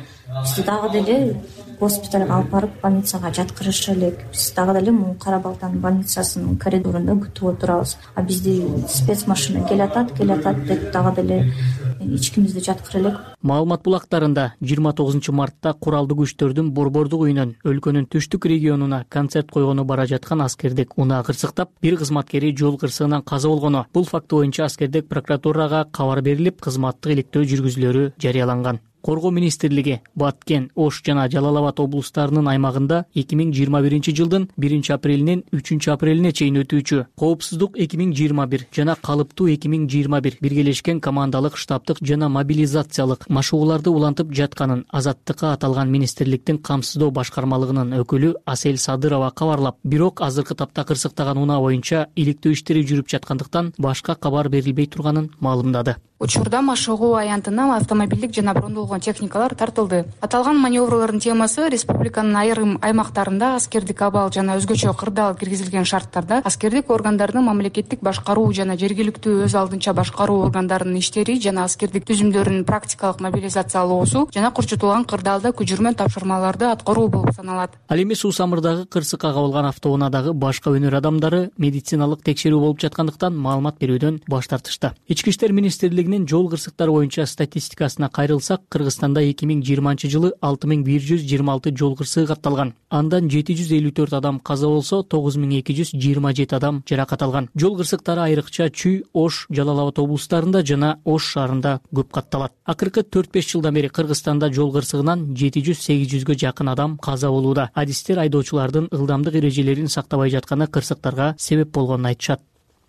бизди дагы деле госпиталга алып барып больницага жаткырышы элек. Биз дагы деле могу Кара Балтанын больницасынын коридорунда күтүп отурабыз. А бизди спецмашина келатат деп дагы деле ичкимизди жаткыра элек. Маалымат булактарында 29 мартта куралдуу күчтөрдүн борбордук үйүнөн өлкөнүн түштүк регионуна концерт койгону бара жаткан аскердик унаа кырсыктап, бир кызматкери жол кырсыгынан каза болгону. Бул факт боюнча аскердик прокуратурага кабар берилип, кызматтык иликтөө жүргүзүлөрү жарыяланган. Коргоо министрлиги Баткен, Ош жана Жалал Абад облустарынын аймагында 2021 жылдын 1 апрелинен 3 апрелине чейин өтүүчү Коопсуздук 2021 жана Калыптуу 2021 биргелешкен командалык штабтык жана мобилизациялык машыгууларды улантып жатканын Азаттыкка аталган министрликтин камсыздоо башкармалыгынын өкүлү Асель Садырова кабарлап, бирок азыркы тапта кырсыктаган унаа боюнча иликтөө иштери жүрүп жаткандыктан башка кабар берилбей турганын маалымдады. учурда машыгуу аянтына автомобилдик жана брондолгон техникалар тартылды. Аталган маневрлордун темасы республиканын айрым аймактарында аскердик абал жана өзгөчө кырдаал киргизилген шарттарда аскердик органдардын мамлекеттик башкаруу жана жергиликтүү өз алдынча башкаруу органдарынын иштери жана аскердик түзүмдөрүнүн практикалык мобилизациялоосу жана курчутулган кырдаалда күчүрмө тапшырмаларды аткаруу болуп саналат. Ал эми Суусамырдагы кырсыкка кабылган автоунаадагы башка өнөр адамдары медициналык текшерүү болуп жаткандыктан маалымат берүүдөн баш тартышты. Ички иштер министрлигинин жол кырсыктары боюнча статистикасына кайрылсак, Кыргызстанда 2020-жылы 6126 жол кырсыгы катталган. Андан 754 адам каза болсо, 9227 адам жаракат алган. Жол кырсыктары айрыкча Чүй, Ош, Жалал Абад облустарында жана Ош шаарында көп катталат. Акыркы 4-5 жылдан бери Кыргызстанда жол кырсыгынан 700-800гө жакын адам каза болууда. Адистер айдоочулардын ылдамдык эрежелерин сактабай жатканы кырсыктарга себеп болгонун айтышат.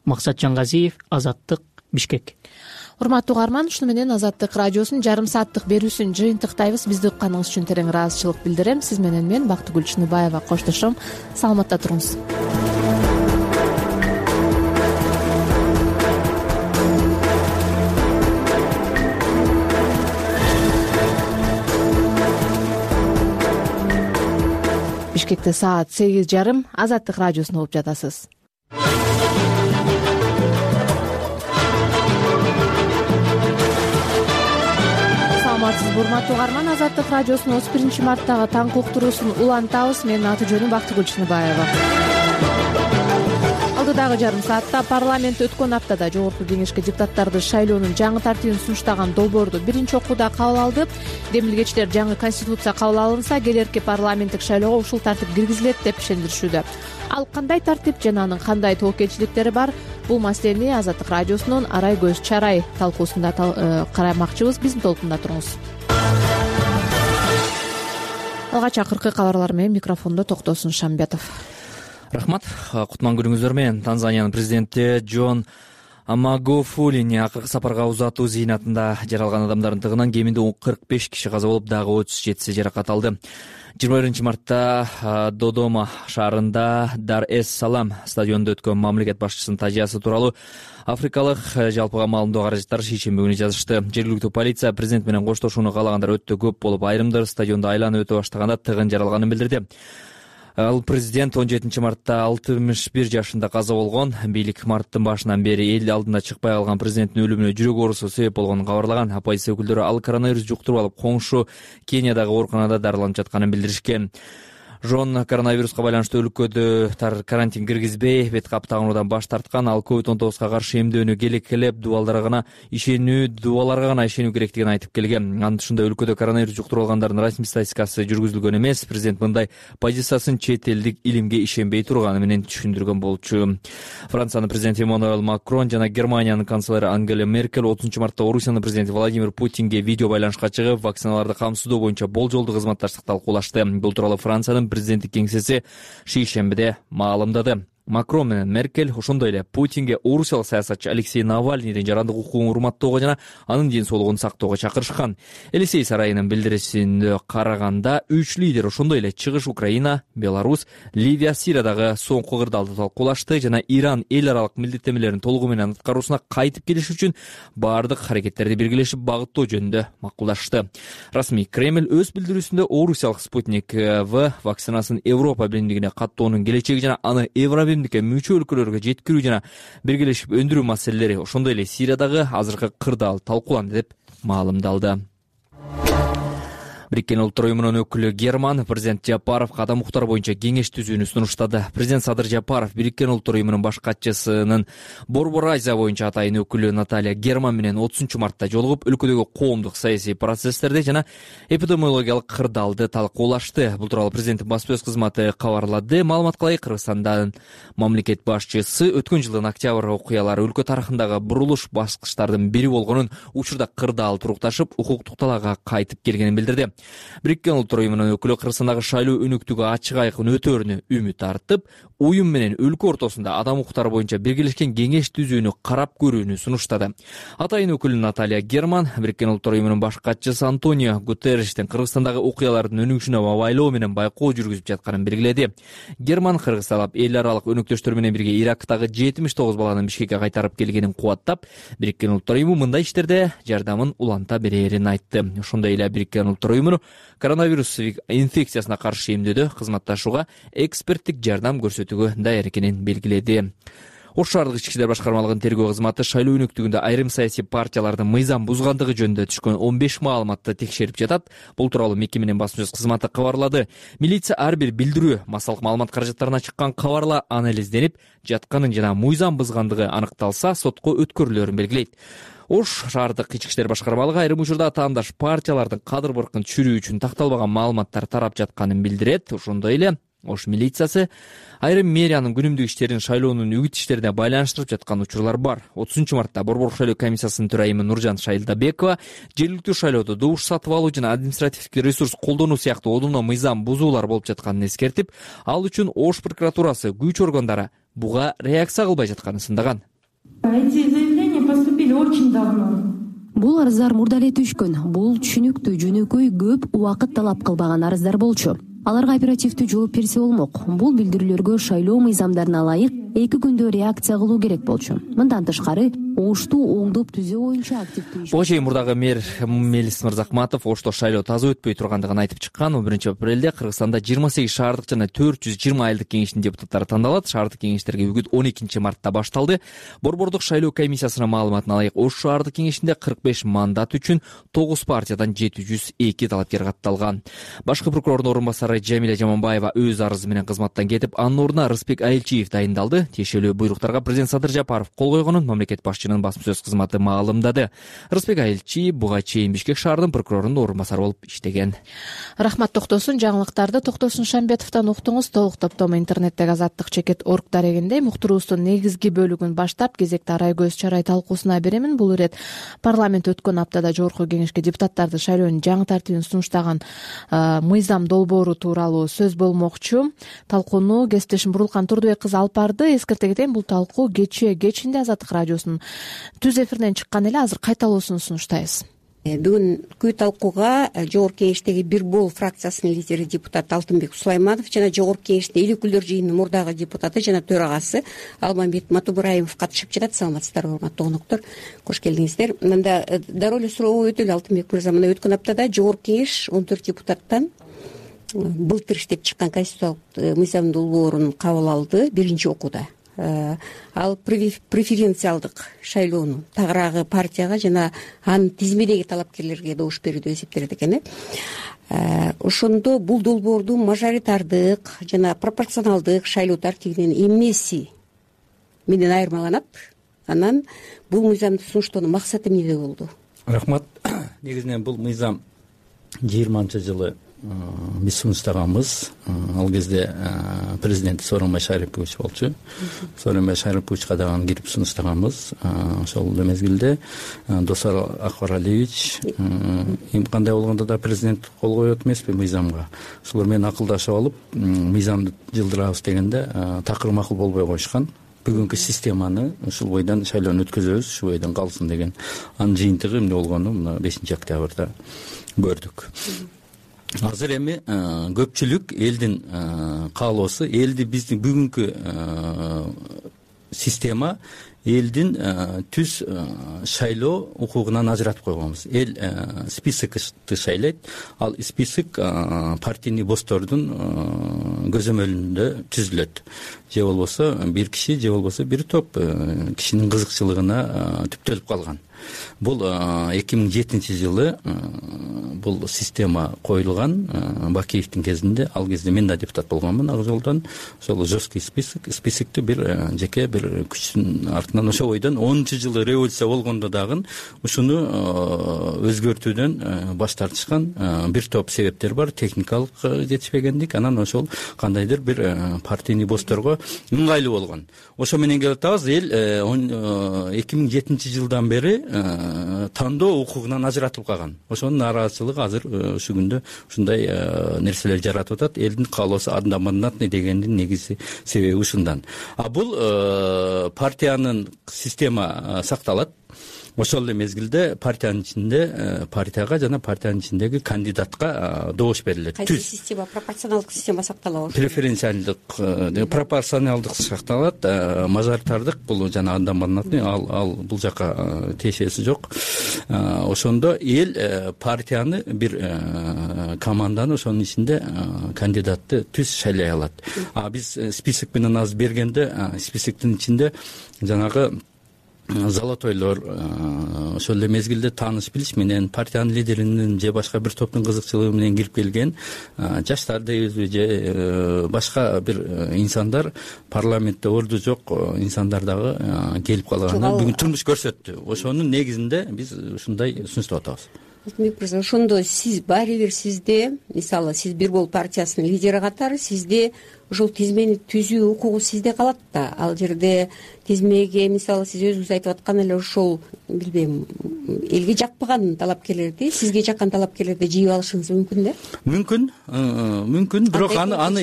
Максат Жаңгазиев, Азаттык, Бишкек. Урматтуу угарман, ушуну менен Азаттык радиосунун жарым сааттык берүүсүн жыйынтыктайбыз. Бизди укканыңыз үчүн терең ыраазычылык билдирем. Сиз менен мен Бактыгүл Чыныбаева коштошом. Саламатта туруңуз. Бишкекте саат 8:30. Азаттык радиосун угуп жатасыз. Урматтуу угарман, Азаттык радиосунун 31-марттагы таңкы уктуруусун улантабыз. Менин аты жөнүм Бактыгүл Чыныбаева. Алдыдагы жарым саатта парламент өткөн аптада жогорку кеңешке депутаттарды шайлоонун жаңы тартибин сунуштаган долбоорду биринчи окууда кабыл алды. Демилгечтер жаңы конституция кабыл алынса, келерки парламенттик шайлоого ушул тартип киргизилет деп ишендиришүүдө. Ал кандай тартип жана анын кандай тобокелчиликтери бар? Бул маселени Азаттык радиосунун Арай көз чарай талкуусунда карамакчыбыз. Биздин толкунда туруңуз. Алгач акыркы кабарлар менен микрофондо Токтосун Шамбетов. Рахмат. Кутман күнүңүздөр менен. Танзаниянын президенти Джон Магуфулини акыркы сапарга узатуу зыйнатында жаралган адамдардын тыгынан кеминде 45 киши каза болуп, дагы 37 жаракат алды. 21-мартта Додома шаарында Дар-эс-Салам стадионунда өткөн мамлекет башчысынын тажыясы тууралуу африкалык жалпыга маалымдоо каражаттар шейшемби күнү жазышты. Жергиликтүү полиция президент менен коштошууну каалагандар өтө көп болуп, айрымдары стадионду айланып өтө баштаганда тыгын жаралганын билдирди. Ал президент 17-мартта 61 жашында каза болгон. Бийлик марттын башынан бери эл алдына чыкпай калган президенттин өлүмүнө жүрөк оорусу себеп болгонун кабарлаган. Оппозиция өкүлдөрү ал коронавирус жуктуруп алып, коңшу Кениядагы ооруканада дарыланып жатканын билдиришкен. Жон коронавируска байланыштуу өлкөдө карантин киргизбей, бет кап тагынуудан баш тарткан. Ал COVID-19 каршы эмдөөнү келекелеп, дуаларга гана ишенүү керектигин айтып келген. Анын ушундай өлкөдө коронавирус жуктуруп алгандардын расмий статистикасы жүргүзүлгөн эмес. Президент мындай позициясын чет элдик илимге ишенбей турганы менен түшүндүргөн болчу. Франциянын президенти Эммануэль Макрон жана Германиянын канцлери Ангела Меркель 30-мартта Орусиянын президенти Владимир Путинге видео байланышка чыгып, вакциналарды камсыздоо боюнча болжолдуу кызматташтыкты талкуулашты. Бул тууралуу Франциянын президенттик кеңсеси шейшембиде маалымдады. Макрон менен Меркель ошондой эле Путинге орусиялык саясатчы Алексей Навальныйдын жарандык укугун урматтоого жана анын ден соолугун сактоого чакырышкан. Елисей сарайынын билдирисине караганда 3 лидер ошондой эле чыгыш Украина, Беларусь, Ливия, Сириядагы соңку кырдаалды талкуулашты жана Иран эл аралык милдеттенмелерин толугу менен аткаруусуна кайтып келиш үчүн баардык аракеттерди биргелешип багыттоо жөнүндө макулдашты. Расмий Кремль өз билдирүүсүндө орусиялык Спутник В вакцинасын Европа биримдигине каттоонун келечеги жана аны мүчө өлкөлөргө жеткирүү жана биргелешип өндүрүү маселелери, ошондой эле Сириядагы азыркы кырдаал талкууланды деп маалымдалды. Бириккен Улуттар уюмунун өкүлү Герман президент Жапаров кадам уктар боюнча кеңеш түзүүнү сунуштады. Президент Садыр Жапаров Бириккен Улуттар уюмунун баш катчысынын Борбор Азия боюнча атайын өкүлү Наталья Герман менен 30-мартта жолугуп, өлкөдөгү коомдук саясий процесстерди жана эпидемиологиялык кырдаалды талкуулашты. Бул тууралуу президенттин басма сөз кызматы кабарлады. Маалымат кылайык, Кыргызстандан мамлекет башчысы өткөн жылдын октябрь окуялары өлкө тарыхындагы бурулуш баскычтардын бири болгонун, учурда кырдаал турукташып, укуктук талаага кайтып келгенин билдирди. Бириккен Улуттар уюмунун өкүлү Кыргызстандагы шайлоо өнүктүгү ачык айкын өтөөрүнө үмүт артып, уюм менен өлкө ортосунда адам укуктары боюнча биргелешкен кеңеш түзүүнү карап көрүүнү сунуштады. Атайын өкүлү Наталья Герман Бириккен Улуттар уюмунун баш катчысы Антонио Гутерриштин Кыргызстандагы окуялардын өнүгүшүнө абайлоо менен байкоо жүргүзүп жатканын белгиледи. Герман Кыргыз талап эл аралык өнөктөштөр менен бирге Ирактагы 79 баланы Бишкекке кайтарып келгенин кубаттап, Бириккен Улуттар уюму мындай иштерде жардамын уланта берерин айтты. Ошондой эле Бириккен Улуттар уюму коронавирус инфекциясына каршы эмдөөдө кызматташууга эксперттик жардам көрсөтүүгө даяр экенин белгиледи. Ош шаардык ички иштер башкармалыгынын тергөө кызматы шайлоо өнөктүгүндө айрым саясий партиялардын мыйзам бузгандыгы жөнүндө түшкөн 15 маалыматты текшерип жатат. Бул тууралуу мекеменин басма сөз кызматы кабарлады. Милиция ар бир билдирүү массалык маалымат каражаттарына чыккан кабарлар анализденип, жатканын жана мыйзам бузгандыгы аныкталса, сотко өткөрүлөрүн белгилейт. Ош шаардык ички иштер башкармалыгы айрым учурда таандаш партиялардын кадыр-баркын түшүрүү үчүн такталбаган маалыматтар тарап жатканын билдирет. Ошондой эле Ош милициясы айрым мэриянын күнүмдүк иштерин шайлоонун үгүт иштерине байланыштырып жаткан учурлар бар. 30-мартта Борбор шайлоо комиссиясынын төрайымы Нуржан Шайылдабекова жергиликтүү шайлоодо добуш сатып алуу жана административдик ресурс колдонуу сыяктуу одоно мыйзам бузуулар болуп жатканын эскертип, ал үчүн Ош прокуратурасы күч органдары буга реакция кылбай жатканын сындаган. Эти заявления поступили очень давно. Бул арыздар мурда эле түшкөн. Бул түшүнүктүү, жөнөкөй, көп убакыт талап кылбаган арыздар болчу. Аларга оперативдүү жооп берсе болмок. Бул билдирүүлөргө шайлоо мыйзамдарына ылайык 2 күндө реакция кылуу керек болчу. Мындан тышкары, Ошту оңдоп түзөө боюнча активдүү. Буга чейин мурдагы мэр Мелис Мырзакматов Ошто шайлоо таза өтпөй тургандыгын айтып чыккан. 1-апрелде Кыргызстанда 28 шаардык жана 420 айылдык кеңештин депутаттары тандалат. Шаардык кеңештерге үгүт 12-мартта башталды. Борбордук шайлоо комиссиясынын маалыматына ылайык Ош шаардык кеңешинде 45 мандат үчүн 9 партиядан 702 талапкер катталган. Башкы прокурордун орун басары Жамиля Жаманбаева өз арызы менен кызматтан кетип, анын ордуна Рыспек Айылчиев дайындалды. Тиешелүү буйруктарга президент Садыр Жапаров кол койгонун мамлекет башчынын басма сөз кызматы маалымдады. Рыспек Айылчиев буга чейин Бишкек шаарынын прокурорунун орун басары болуп иштеген. Рахмат Токтосун. Жаңылыктарды Токтосун Шамбетовдон уктуңуз. Толук топтому интернеттеги azattik.org дарегинде муктуруубуздун негизги бөлүгүн баштап, кезекти арай көз чарай талкуусуна беремин. Бул ирет парламент өткөн аптада жогорку кеңешке депутаттарды шайлоонун жаңы тартибин сунуштаган мыйзам долбоору тууралуу сөз болмокчу. Талкууну кесиптешим Бурулкан Турдубек кызы алып барды. Эскерте кетейин, бул талкуу кечинде Азаттык радиосунун түз эфиринен чыккан эле. Азыр кайталоосун сунуштайбыз. Бүгүнкү талкууга жогорку кеңештеги бир бол фракциясынын лидери депутат Алтынбек Сулайманов жана жогорку кеңештин эл өкүлдөр жыйынынын мурдагы депутаты жана төрагасы Алмамбет Матубраимов катышып жатат. Саламатсыздарбы, урматтуу коноктор, кош келдиңиздер. Мында дароо эле сурообу өтөлү. Алтынбек мырза, мына өткөн аптада жогорку кеңеш 14 депутаттан былтыр иштеп чыккан конституциялык мыйзам долбоорун кабыл алды биринчи окууда. Ал преференциалдык шайлоону тагыраагы партияга жана анын тизмедеги талапкерлерге добуш берүүдө эсептелет экен. Ошондо бул долбоордун мажоритардык жана пропорционалдык шайлоо тартибинин эмнеси менен айырмаланат? Анан бул мыйзамды сунуштоонун максаты эмнеде болду? Рахмат. Негизинен бул мыйзам 20-жылы биз сунуштаганбыз. Ал кезде президент Сооронбай Шарипович болчу. Сооронбай Шариповичка дагы кирип сунуштаганбыз. Ошол мезгилде Досор Акбаралиевич кандай болгондо да президент кол коет эмеспи мыйзамга. Ошолор менен акылдашып алып, мыйзамды жылдырабыз дегенде такыр макул болбой коюшкан. Бүгүнкү системаны ушул бойдон шайлоону өткөзөбүз, ушул бойдон калсын деген. Анын жыйынтыгы эмне болгону мына 5-октябрда көрдүк. Азыр эми көпчүлүк элдин каалоосу, элди биздин бүгүнкү система элдин түз шайлоо укугунан ажыратып койгонбуз. Эл списокты шайлайт, ал список партийный бостордун көзөмөлүндө түзүлөт. Же болбосо бир киши, же болбосо бир топ кишинин кызыкчылыгына түптөлүп калган. Бул 2007-жылы бул система коюлган Бакиевдин кезинде. Ал кезде мен да депутат болгонмун. Ак жолдон ошол жесткий списокту бир жеке бир күчтүн артынан ошол бойдон 10-жылы революция болгондо дагы ушуну өзгөртүүдөн баш тартышкан бир топ себептер бар. Техникалык жетишпегендик, анан ошол кандайдыр бир партийный босторго ыңгайлуу болгон. Ошо менен келип атабыз. Эл 2007-жылдан бери тандоо укугунан ажыратылып калган. Ошонун нааразычылыгы азыр ушул күндө ушундай нерселер жаратып атат. Элдин каалоосу одномандатный дегендин негизи себеби ушундан. Бул партиянын система сакталат. Ошол эле мезгилде партиянын ичинде партияга жана партиянын ичиндеги кандидатка добуш берилет. Кайсы система? Пропорционалдык система сакталабы? Пропорционалдык сакталат. Мажоритардык бул жана одномандатный ал бул жака тиешеси жок. Ошондо эл партияны бир команданы ошонун ичинде кандидатты түз шайлай алат. Биз список менен азыр бергенде списоктун ичинде жанагы золотойлор, ошол эле мезгилде тааныш билиш менен партиянын лидеринин же башка бир топтун кызыкчылыгы менен кирип келген жаштар дейбизби же башка бир инсандар, парламентте орду жок инсандар дагы келип калганын бүгүн турмуш көрсөттү. Ошонун негизинде биз ушундай сунуштап атабыз. Алтынбек мырза, ошондо сиз баары бир сизде, мисалы сиз Бир Бол партиясынын лидери катары, сизде ушул тизмени түзүү укугу сизде калат да. Ал жерде тизмеге мисалы сиз өзүңүз айтып аткан эле ошол билбейм элге жакпаган талапкерлерди сизге жаккан талапкерлерди жыйып алышыңыз мүмкүн да? Мүмкүн, бирок аны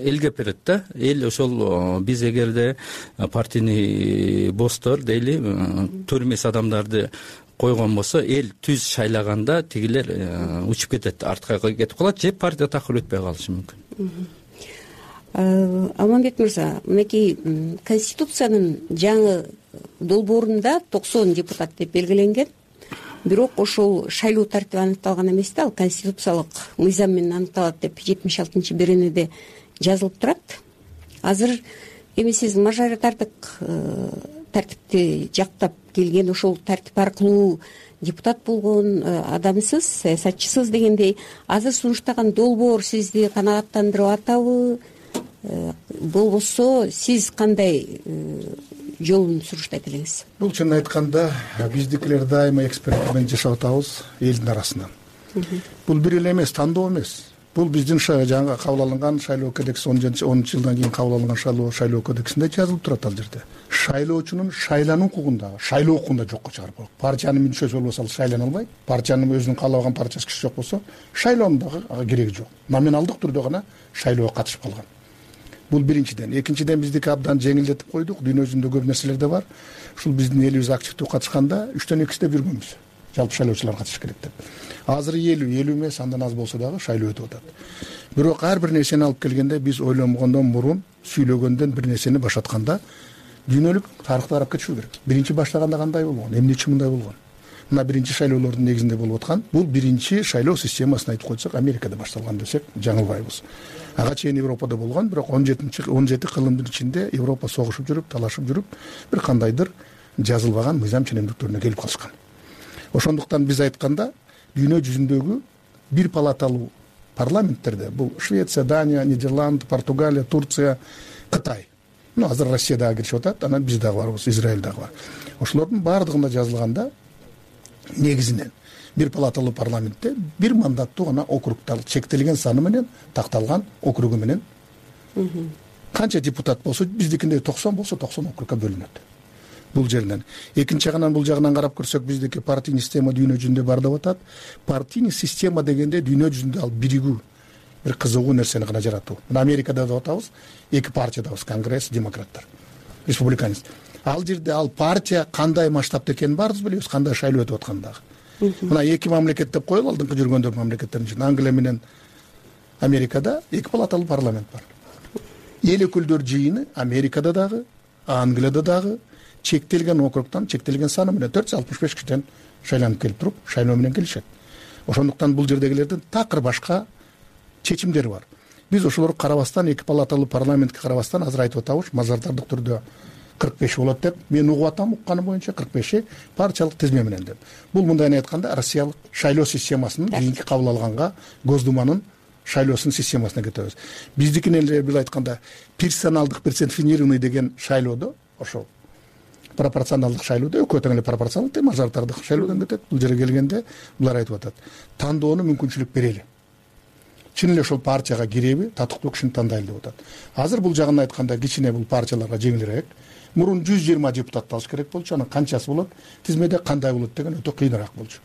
элге берет да. Эл ошол биз эгерде партийный босстор дейли төр эмес адамдарды койгон болсо, эл түз шайлаганда тигилер учуп кетет, артка кетип калат же партия такыр өтпөй калышы мүмкүн. Алмамбет мырза, мынакей Конституциянын жаңы долбоорунда 90 депутат деп белгиленген. Бирок ошол шайлоо тартиби аныкталган эмес да, ал конституциялык мыйзам менен аныкталат деп 76-беренеде жазылып турат. Азыр эми сиз мажоритардык тартипти жактап келген, ошол тартип аркылуу депутат болгон адамсыз, саясатчысыз дегендей, азыр сунуштаган долбоор сизди канааттандырып атабы? Болбосо сиз кандай жолун сунуштайт элеңиз? Бул чынын айтканда биздикилер дайыма эксперимент менен жашап атабыз элдин арасынан. Бул бир эле эмес, тандоо эмес. Бул биздин жаңы кабыл алынган шайлоо кодекси 10 жылдан кийин кабыл алынган шайлоо кодексинде жазылып турат ал жерде. Шайлоочунун шайлануу укугундагы, шайлоо укугунда жокко чыгарып коет. Партиянын мүчөсү болбосо ал шайлана албайт. Партиянын өзүнүн каалабаган партиясы киши жок болсо, шайлоонун дагы кереги жок. Номиналдык түрдө гана шайлоого катышып калган. Бул биринчиден. Экинчиден биздики абдан жеңилдетип койдук. Дүйнө жүзүндө көп нерселер да бар. Ушул биздин элибиз активдүү катышканда 3төн 2сиде жүргөнбүз. Жалпы шайлоочулар катышыш керек деп. Азыр 50 эмес, андан аз болсо дагы шайлоо өтүп атат. Бирок ар бир нерсени алып келгенде биз ойломогондон мурун, сүйлөгөндөн бир нерсени баштатканда дүйнөлүк тарыхты карап кетишүү керек. Биринчи баштаганда кандай болгон, эмне үчүн мындай болгон? Мына биринчи шайлоолордун негизинде болуп аткан, бул биринчи шайлоо системасын айтып койсок, Америкада башталган десек жаңылбайбыз. Ага чейин Европада болгон, бирок 17 кылымдын ичинде Европа согушуп жүрүп, талашып жүрүп, бир кандайдыр жазылбаган мыйзам ченемдиктөрүнө келип калышкан. Ошондуктан биз айтканда дүйнө жүзүндөгү бир палаталуу парламенттерде, бул Швеция, Дания, Нидерланд, Португалия, Турция, Кытай, азыр Россия дагы киришип атат, анан биз дагы барбыз, Израиль дагы бар. Ошолордун баардыгында жазылганда негизинен бир палаталуу парламентте бир мандаттуу гана округтар, чектелген саны менен такталган округу менен канча депутат болсо, биздикинде 90 болсо 90 округга бөлүнөт. Бул жерден. Экинчи жагынан бул жагынан карап көрсөк, биздики партийный система дүйнө жүзүндө бар деп атат. Партийный система дегенде дүйнө жүзүндө ал биригүү, бир кызыгуу нерсени гана жаратуу. Мына Америкада деп атабыз, эки партиядабыз, Конгресс, демократтар, республиканец. Ал жерде ал партия кандай масштабта экенин баарыбыз билебиз, кандай шайлоо өтүп атканын дагы. Мына эки мамлекет деп коелу, алдыңкы жүргөндөр мамлекеттердин ичинде Англия менен Америкада эки палаталуу парламент бар. Эл өкүлдөр жыйыны Америкада дагы, Англияда дагы чектелген округтан, чектелген саны менен 465 кишиден шайланып келип туруп, шайлоо менен келишет. Ошондуктан бул жердегилердин такыр башка чечимдери бар. Биз ошолорго карабастан, эки палаталуу парламентке карабастан азыр айтып атабыз, мажоритардык түрдө 45 болот деп. Мен угуп атам, укканым боюнча 45 партиялык тизме менен деп. Бул мындай айтканда Россиялык шайлоо системасынын кийинки кабыл алганга Госдуманын шайлоосунун системасына кетебиз. Биздикин эле бир айтканда персоналдык персонифицированный деген шайлоодо ошол пропорционалдык шайлоодо экөө тең эле пропорционалдык мажоритардык шайлоодон кетет. Бул жерге келгенде булар айтып атат, тандоону мүмкүнчүлүк берели. Чын эле ошол партияга киреби, татыктуу кишини тандайлы деп атат. Азыр бул жагын айтканда кичине бул партияларга жеңилирээк. мурун 120 депутатты алыш керек болчу, анан канчасы болот, тизмеде кандай болот деген өтө кыйыныраак болчу.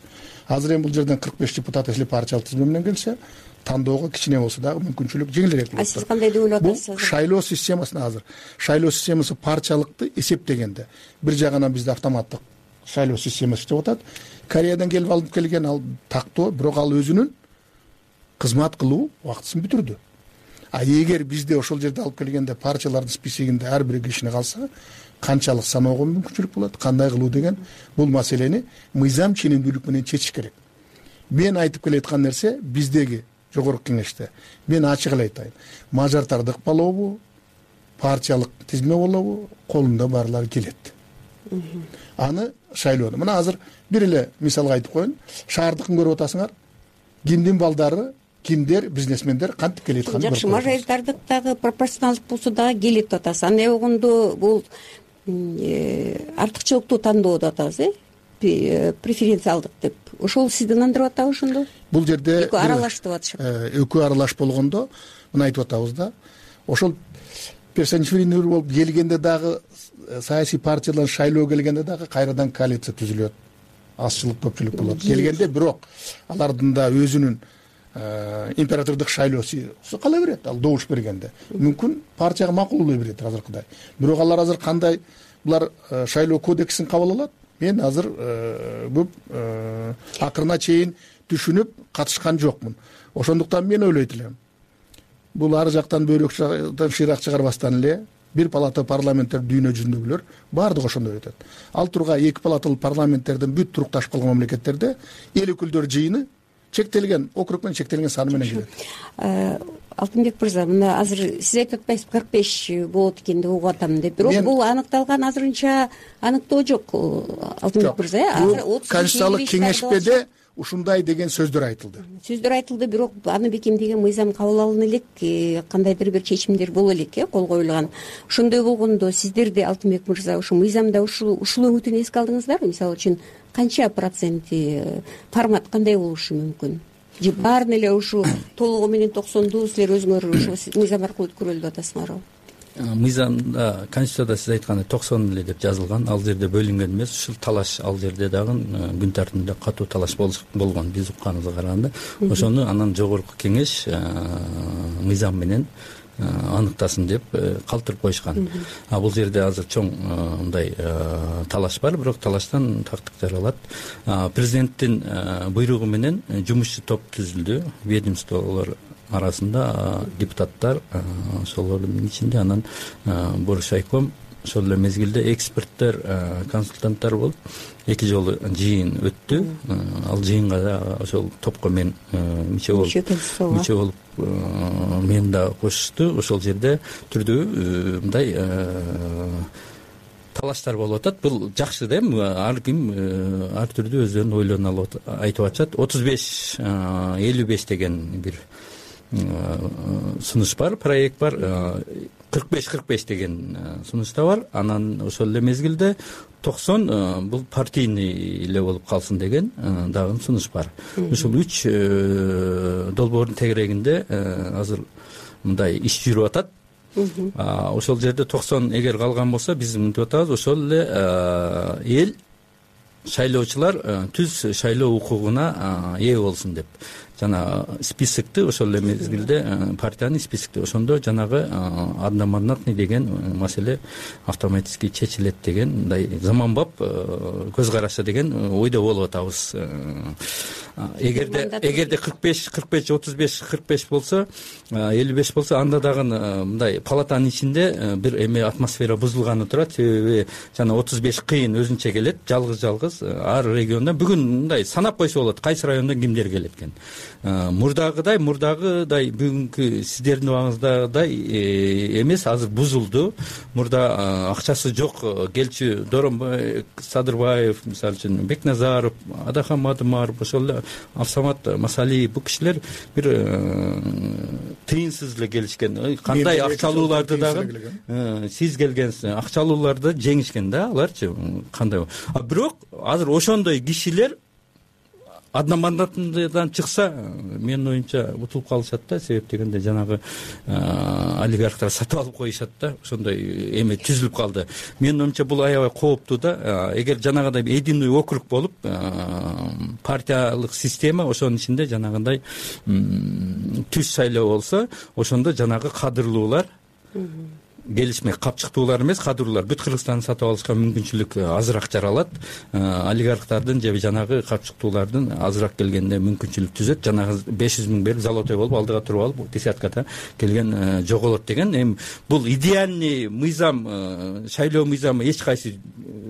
Азыр эми бул жерден 45 депутат если партиялык тизме менен келсе, тандоого кичине болсо дагы мүмкүнчүлүк жеңилирээк болот. Сиз кандай деп ойлоп атасыз? Бул шайлоо системасына азыр шайлоо системасы партиялыкты эсептегенде бир жагынан бизде автоматтык шайлоо системасы иштеп атат. Кореядан келип алып келген ал тактоо, бирок ал өзүнүн кызмат кылуу убактысын бүтүрдү. А эгер бизде ошол жерде алып келгенде партиялардын списигинде ар бир кишини калса, канчалык саноого мүмкүнчүлүк болот, кандай кылуу деген бул маселени мыйзам ченемдүүлүк менен чечиш керек. Мен айтып келаткан нерсе биздеги жогорку кеңеште мен ачык эле айтайын. Мажартарды ыкпалообу, партиялык тизме болобу, колунда барлары келет. Аны шайлоону. Мына азыр бир эле мисалга айтып коеюн. Шаардыкын көрүп атасыңар. Кимдин балдары, кимдер, бизнесмендер кантип келет атканын. Жакшы, мажоритардык дагы пропорционалдык болсо дагы келет деп атасыз. Аны болгондо бул артыкчылыктуу тандоо деп атабыз, преференциалдык деп. Ошол сизди ынандырып атабы ошондо? Бул жерде экөө аралаш деп атышат. Экөө аралаш болгондо мына айтып атабыз да. Ошол персонифицирование болуп келгенде дагы саясий партиялар шайлоо келгенде дагы кайрадан коалиция түзүлөт. Азчылык көпчүлүк болот. Келгенде бирок алардын да өзүнүн императордук шайлоосу кала берет. Ал добуш бергенде мүмкүн партияга макулдуу берет азыркыдай. Бирок алар азыр кандай булар шайлоо кодексин кабыл алат? Мен азыр көп акырына чейин түшүнүп катышкан жокмун. Ошондуктан мен ойлойт элем. Бул ар жактан бөйрөктөн шыйрак чыгарбастан эле бир палата парламенттер дүйнө жүзүндөгүлөр баардыгы ошондой өтөт. Ал турга эки палаталуу парламенттердин бүт турукташып калган мамлекеттерде эл өкүлдөр жыйыны чектелген округ менен чектелген саны менен келет. Алтынбек мырза, мына азыр сиз айтып атпайсызбы 45 болот экен деп угуп атам деп. Бирок бул аныкталган азырынча аныктоо жок, Алтынбек мырза. Азыр 30 Конституциялык кеңешпеде ушундай деген сөздөр айтылды. Бирок аны бекемдеген мыйзам кабыл алына элек, кандайдыр бир чечимдер боло элек, кол коюлган. Ошондой болгондо сиздерде Алтынбек мырза ушу мыйзамда ушул өңүтүн эске алдыңыздарбы? Мисалы үчүн канча проценти формат кандай болушу мүмкүн? Же баарын эле ушу толугу менен 90дуу силер өзүңөр ушу мыйзам аркылуу өткөрөлү деп атасыңарбы? Мыйзамда, Конституцияда сиз айткандай 90 эле деп жазылган. Ал жерде бөлүнгөн эмес, ушул талаш ал жерде дагы күн тартибинде катуу талаш болгон биз укканыбызга караганда. Ошону анан жогорку кеңеш мыйзам менен аныктасын деп калтырып коюшкан. Бул жерде азыр чоң мындай талаш бар, бирок талаштан тактык жаралат. Президенттин буйругу менен жумушчу топ түзүлдү, ведомстволор арасында депутаттар, ошолордун ичинде анан Боршайком, ошол эле мезгилде эксперттер, консультанттар болуп 2 жолу жыйын өттү. Ал жыйынга да ошол топко мен мүчө болуп мен да кошушту. Ошол жерде түрдүү мындай талаштар болуп атат. Бул жакшы да, ар ким ар түрдүү өздөрүнүн ойлорун алып айтып атышат. 35-55 деген бир сунуш бар, проект бар. 45-45 деген сунуш да бар. Анан ошол эле мезгилде 90 бул партийный эле болуп калсын деген дагы сунуш бар. Ушул 3 долбоордун тегерегинде азыр мындай иш жүрүп атат. Ошол жерде 90 эгер калган болсо биз мынтип атабыз, ошол эле эл шайлоочулар түз шайлоо укугуна ээ болсун деп. Жана списокты ошол эле мезгилде партиянын списокты ошондо жанагы одномандатный деген маселе автоматически чечилет деген мындай заманбап көз карашы деген ойдо болуп атабыз. Эгерде 45, 35 болсо, 55 болсо, анда дагы мындай палатанын ичинде бир эме атмосфера бузулганы турат. Себеби жана 35 кыйын өзүнчө келет, жалгыз ар региондон. Бүгүн мындай санап койсо болот, кайсы райондон кимдер келет экен. Мурдагыдай бүгүнкү сиздердин убагыңыздагыдай эмес, азыр бузулду. Мурда акчасы жок келчү Доронбай Садырбаев, мисалы үчүн Бекназаров, Адахан Мадымаров, ошол эле Авсамат Масалиев, бул кишилер бир тыйынсыз эле келишкен. Кандай акчалууларды дагы сиз келгенсиз, акчалууларды жеңишкен да аларчы, кандай. Бирок азыр ошондой кишилер одномандатныйдан чыкса менин оюмча утулуп калышат да. Себеп дегенде жанагы олигархтар сатып алып коюшат да, ошондой эме түзүлүп калды. Менин оюмча бул аябай кооптуу да. Эгер жанагындай единый округ болуп партиялык система, ошонун ичинде жанагындай түз шайлоо болсо, ошондо жанагы кадырлуулар келишмек, капчыктуулар эмес, кадырлуулар бүт Кыргызстанды сатып алышка мүмкүнчүлүк азыраак жаралат. Олигархтардын же жанагы капчыктуулардын азыраак келгенде мүмкүнчүлүк түзөт. Жанагы 500 000 берип золотой болуп алдыга туруп алып десяткада келген жоголот деген. Эми бул идеальный мыйзам, шайлоо мыйзамы эч кайсы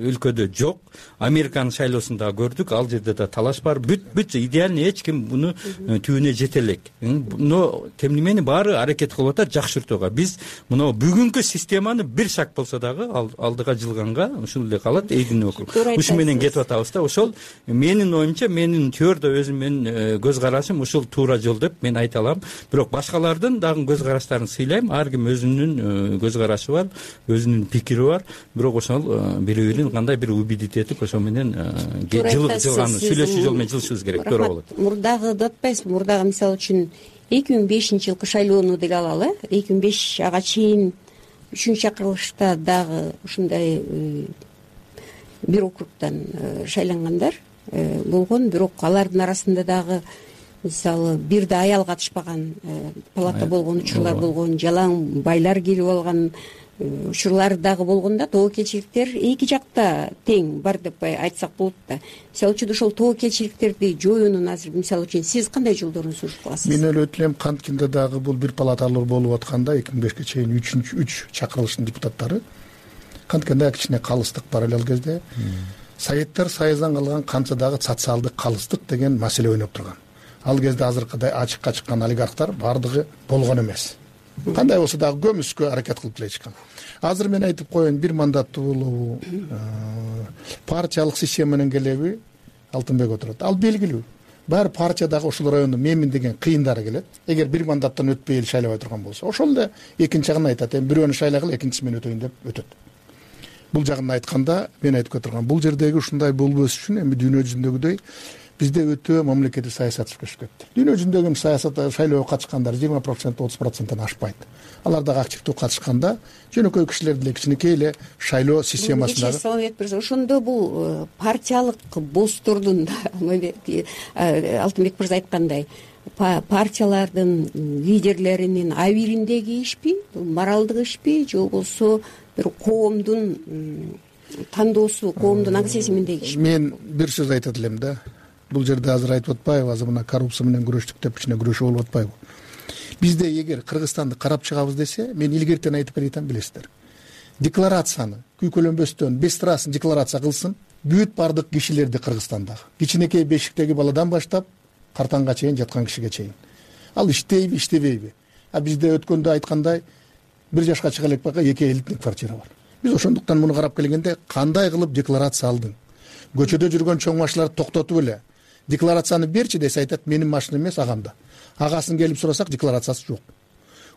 өлкөдө жок. Американын шайлоосунда көрдүк, ал жерде да талаш бар. Бүт идеальный, эч ким муну түбүнө жете элек. Но тем не менее баары аракет кылып атат жакшыртууга. Биз мына бүгүнкү системаны бир шаг болсо дагы алдыга жылганга ушул эле калат, эйдин округ. Ушу менен кетип атабыз да. Ошол менин оюмча, менин теорияда өзүм менин көз карашым ушул туура жол деп мен айта алам. Бирок башкалардын дагы көз караштарын сыйлайм. Ар ким өзүнүн көз карашы бар, өзүнүн пикири бар. Бирок ошол бири-бирин кандай бир убедить этип, ошо менен жылган сүйлөшүү жол менен жылышыбыз керек. Туура болот. Мурдагыды атпайсызбы? Мурдагы мисалы үчүн 2005-жылкы шайлоону деле алалы. 2005 ага чейин 3-чакырылышта дагы ушундай бир округдан шайлангандар болгон. Бирок алардын арасында дагы мисалы бир да аял катышпаган палата болгон учурлар болгон, жалаң байлар кирип алган учурлар дагы болгон да. Тобокелчиликтер эки жакта тең бар деп айтсак болот да. Мисалы үчүн ошол тобокелчиликтерди жоюунун азыр мисалы үчүн сиз кандай жолдорун сунуштап каласыз? Мен ойлойт элем канткенде дагы бул бир палаталуу болуп атканда 2005-ке чейин 3 чакырылыштын депутаттары канткенде кичине калыстык бар эле ал кезде. Советтер Союздан калган канча дагы социалдык калыстык деген маселе ойноп турган. Ал кезде азыркыдай ачыкка чыккан олигархтар бардыгы болгон эмес. Кандай болсо дагы көмүскө аракет кылып эле чыккан. Азыр мен айтып коеюн, бир мандаттуу болобу, партиялык система менен келеби, Алтынбек отурат. Ал белгилүү. Баары партиядагы ушул райондо менмин деген кыйындары келет. Эгер бир мандаттан өтпөй эл шайлабай турган болсо, ошол эле экинчи жагын айтат. Эми бирөөнү шайлагыла, экинчиси мен өтөйүн деп өтөт. Бул жагын айтканда мен айтып кетирган, бул жердеги ушундай болбош үчүн эми дүйнө жүзүндөгүдөй бизде өтө мамлекеттик саясат түшүп кетти. Дүйнө жүзүндөгү саясат шайлоого катышкандар 20%, 30%-тан ашпайт. Алар дагы активдүү катышканда жөнөкөй кишилер деле кичинекей эле шайлоо системасында. Ошондо бул партиялык босстордун Алтынбек мырза айткандай партиялардын лидерлеринин абириндеги ишпи, бул моралдык ишпи, же болбосо бир коомдун тандоосу, коомдун аң сезиминдеги ишпи? Мен бир сөз айтат элем да. Бул жерде азыр айтып атпайбы, азыр мына коррупция менен күрөштүк деп кичине күрөшүү болуп атпайбы? Бизде эгер Кыргызстанды карап чыгабыз десе, мен илгертен айтып берейин, билесиздер. Декларацияны күйкөлөнбөстөн бестырасын декларация кылсын бүт бардык кишилерди Кыргызстандагы. Кичинекей бешиктеги баладан баштап картаңга чейин жаткан кишиге чейин. Ал иштейби, иштебейби? Бизде өткөндө айткандай 1 жашка чыга элек бака 2 элитник квартира бар. Биз ошондуктан муну карап келгенде кандай кылып декларация алдың? Көчөдө жүргөн чоң машиналарды токтотуп эле декларацияны берчи десе, айтат менин машина эмес, агамда. Агасын келип сурасак декларациясы жок.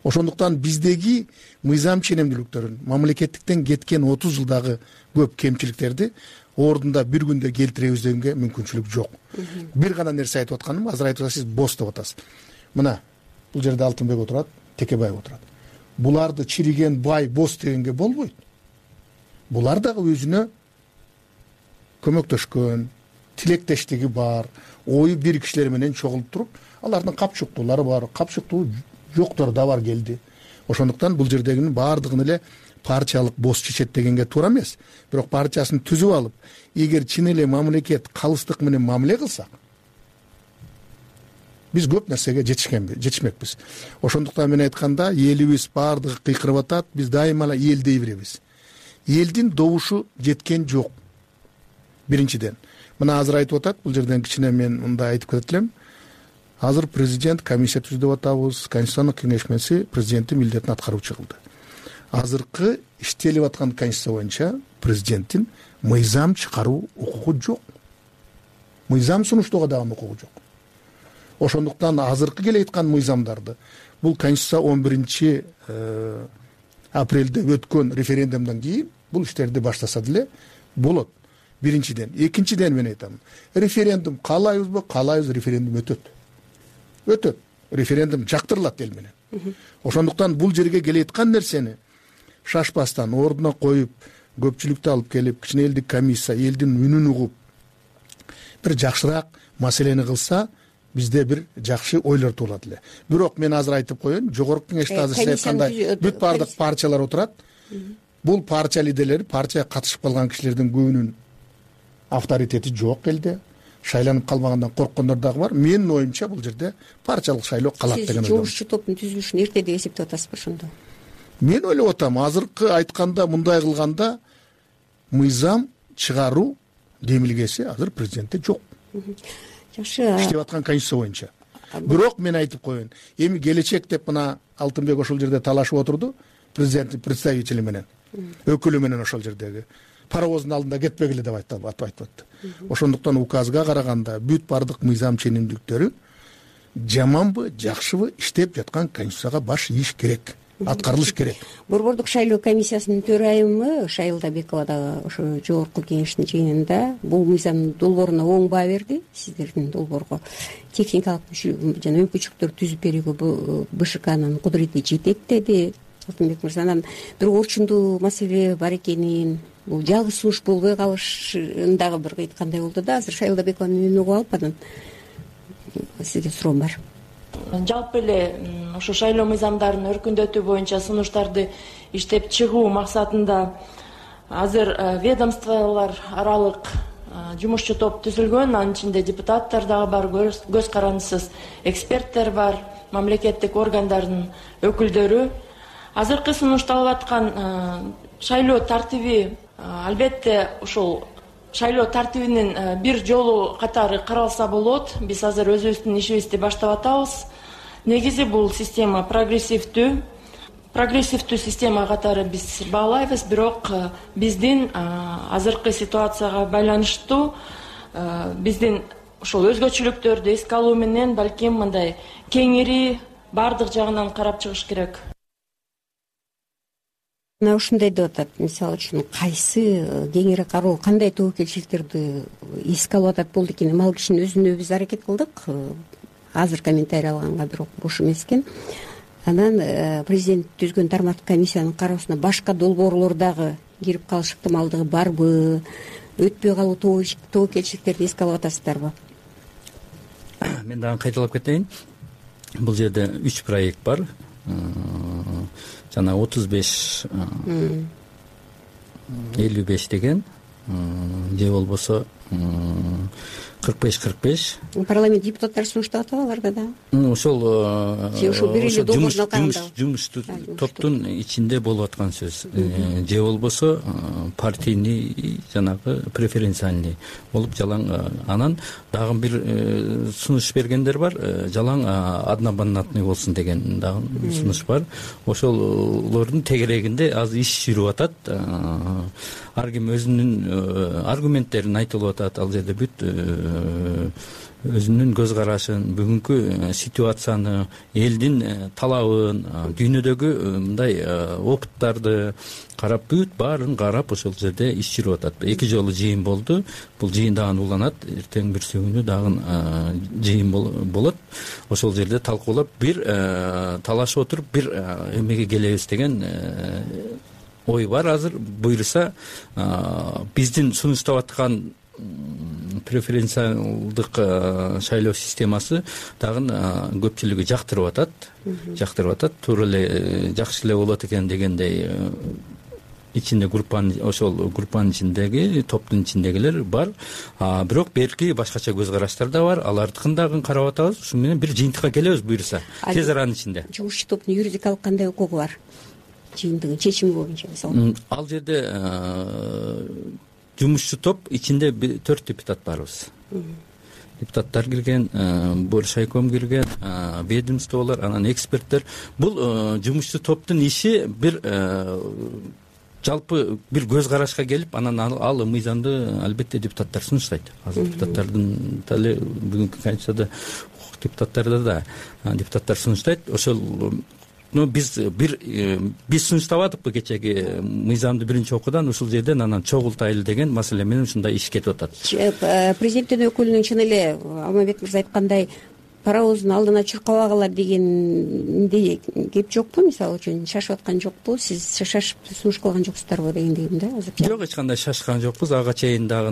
Ошондуктан биздеги мыйзам ченемдүүлүктөрүн, мамлекеттиктен кеткен 30 жылдагы көп кемчиликтерди ордунда бир күндө келтиребиз дегенге мүмкүнчүлүк жок. Бир гана нерсе айтып атканым, азыр айтып атасыз, босс деп атасыз. Мына бул жерде Алтынбек отурат, Текебаев отурат. Буларды чириген бай босс дегенге болбойт. Булар дагы өзүнө көмөктөшкөн, тилектештиги бар, ою бир кишилер менен чогулуп туруп, алардын капчыктуулары бар, капчыктуу жоктор да бар келди. Ошондуктан бул жердегинин баардыгын эле партиялык босс чечет дегенге туура эмес. Бирок партиясын түзүп алып, эгер чын эле мамлекет калыстык менен мамиле кылсак, биз көп нерсеге жетишмекпиз. Ошондуктан мен айтканда, элибиз баардыгы кыйкырып атат, биз дайыма эле эл дей беребиз. Элдин добушу жеткен жок. Биринчиден, мына азыр айтып атат, бул жерден кичине мен мындай айтып кетет элем. Азыр президент комиссия түздүп атабыз, Конституциялык кеңешмеси президенттин милдетин аткаруучу кылды. Азыркы иштелип аткан конституция боюнча президенттин мыйзам чыгаруу укугу жок. Мыйзам сунуштоого дагы укугу жок. Ошондуктан азыркы келе аткан мыйзамдарды бул конституция 11 апрелде өткөн референдумдан кийин бул иштерди баштаса деле болот. биринчиден. Экинчиден мен айтам, референдум каалайбызбы, каалайбыз, референдум өтөт. Референдум жактырылат эл менен. Ошондуктан бул жерге келейаткан нерсени шашпастан ордуна коюп, көпчүлүктү алып келип, кичине элдик комиссия элдин үнүн угуп бир жакшыраак маселени кылса, бизде бир жакшы ойлор туулат эле. Бирок мен азыр айтып коеюн, жогорку кеңеште азыр сиз айткандай бүт баардык партиялар отурат. Бул партия лидерлери, партияга катышып калган кишилердин көбүнүн авторитети жок элде. Шайланып калмагандан корккондор дагы бар. Менин оюмча бул жерде партиялык шайлоо калат деген ойдомун. Сиз жогорку топтун түзүлүшүн эрте деп эсептеп атасызбы ошондо? Мен ойлоп атам, азыркы айтканда, мындай кылганда мыйзам чыгаруу демилгеси азыр президентте жок. Жакшы. Иштеп аткан конституция боюнча. Бирок мен айтып коеюн, эми келечек деп мына Алтынбек ошол жерде талашып отурду, президенттин представители менен, өкүлү менен ошол жердеги. Паровоздун алдында кетпегиле деп айтып. Ошондуктан указга караганда бүт баардык мыйзам ченемдүүлүктөрү жаманбы, жакшыбы иштеп жаткан конституцияга баш ийиш керек, аткарылыш керек. Борбордук шайлоо комиссиясынын төрайымы Шайылда Бекова дагы ошо жогорку кеңештин жыйынында бул мыйзамдын долбооруна оң баа берди. Сиздердин долбоорго техникалык жана мүмкүнчүлүктөр түзүп берүүгө БШКнын кудурети жетет деди Алтынбек мырза. Анан бир орчундуу маселе бар экенин, бул жалгыз сунуш болбой калышын дагы бир айткандай болду да. Азыр Шайылда Бекованын үнүн угуп алып, анан сизге суроом бар. Жалпы эле ошо шайлоо мыйзамдарын өркүндөтүү боюнча сунуштарды иштеп чыгуу максатында азыр ведомстволор аралык жумушчу топ түзүлгөн. Анын ичинде депутаттар дагы бар, көз карандысыз эксперттер бар, мамлекеттик органдардын өкүлдөрү. Азыркы сунушталып аткан шайлоо тартиби албетте ушул шайлоо тартибинин бир жолу катары каралса болот. Биз азыр өзүбүздүн ишибизди баштап атабыз. Негизи бул система прогрессивдүү система катары биз баалайбыз, бирок биздин азыркы ситуацияга байланыштуу биздин ушул өзгөчөлүктөрдү эске алуу менен балким мындай кеңири баардык жагынан карап чыгыш керек. Мына ушундай деп атат, мисалы үчүн кайсы кеңири кароо, кандай тобокелчиликтерди эске алып атат болду экен. Ал кишинин өзүнө биз аракет кылдык. Азыр комментарий алганга бирок бош эмес экен. Анан президент түзгөн тармактык комиссиянын кароосуна башка долбоорлор дагы кирип калыш ыктымалдыгы барбы? Өтпөй калуу тобокелчиликтерди эске алып атасыздарбы? Мен дагы кайталап кетейин. Бул жерде 3 проект бар. Жана 35-55 деген же болбосо 45-45. Парламент депутаттары сунуштап атабы аларга да? Ошол жумуштуу топтун ичинде болуп аткан сөз. Же болбосо партийный жанагы преференциальный болуп жалаң. Анан дагы бир сунуш бергендер бар. Жалаң одномандатный болсун деген дагы сунуш бар. Ошолордун тегерегинде азыр иш жүрүп атат. Ар ким өзүнүн аргументтерин айтылып атат. Ал жерде бүт өзүнүн көз карашын, бүгүнкү ситуацияны, элдин талабын, дүйнөдөгү мындай опыттарды карап, бүт баарын карап ошол жерде иш жүрүп атат. 2 жолу жыйын болду. Бул жыйын дагы уланат. Эртең бир күнү дагы жыйын болот. Ошол жерде талкуулап, бир талашып отуруп, бир эмеге келебиз деген ой бар. Азыр буйруса биздин сунуштап аткан преференциалдык шайлоо системасы дагы көпчүлүгү жактырып атат. Туура эле жакшы эле болот экен дегендей ичинде ошол группанын ичиндеги, топтун ичиндегилер бар. Бирок берки башкача көз караштар да бар. Алардыкын дагы карап атабыз. Ушу менен бир жыйынтыкка келебиз буйруса. Тез аранын ичинде. Жумушчу топтун юридикалык кандай укугу бар? Жыйынтыгын чечими боюнча мисалы. Ал жерде жумушчу топ ичинде 4 депутат барбыз. Депутаттар кирген, Боршайком кирген, ведомстволор, анан эксперттер. Бул жумушчу топтун иши бир жалпы бир көз карашка келип, анан ал мыйзамды албетте депутаттар сунуштайт. Азыр депутаттардын деле бүгүнкү конституцияда депутаттарда да депутаттар сунуштайт. Ошол биз сунуштабадыкпы кечеги мыйзамды биринчи окуудан ушул жерден анан чогултайлы деген маселе менен ушундай иш кетип атат. Президенттин өкүлүнүн чын эле Алмамбет мырза айткандай паровоздун алдына чуркабагыла дегенде кеп жокпу? Мисалы үчүн шашып аткан жокпу? Сиз шашып сунуш кылган жоксуздарбы дегендейм да азыр. Жок, эч кандай шашкан жокпуз. Ага чейин дагы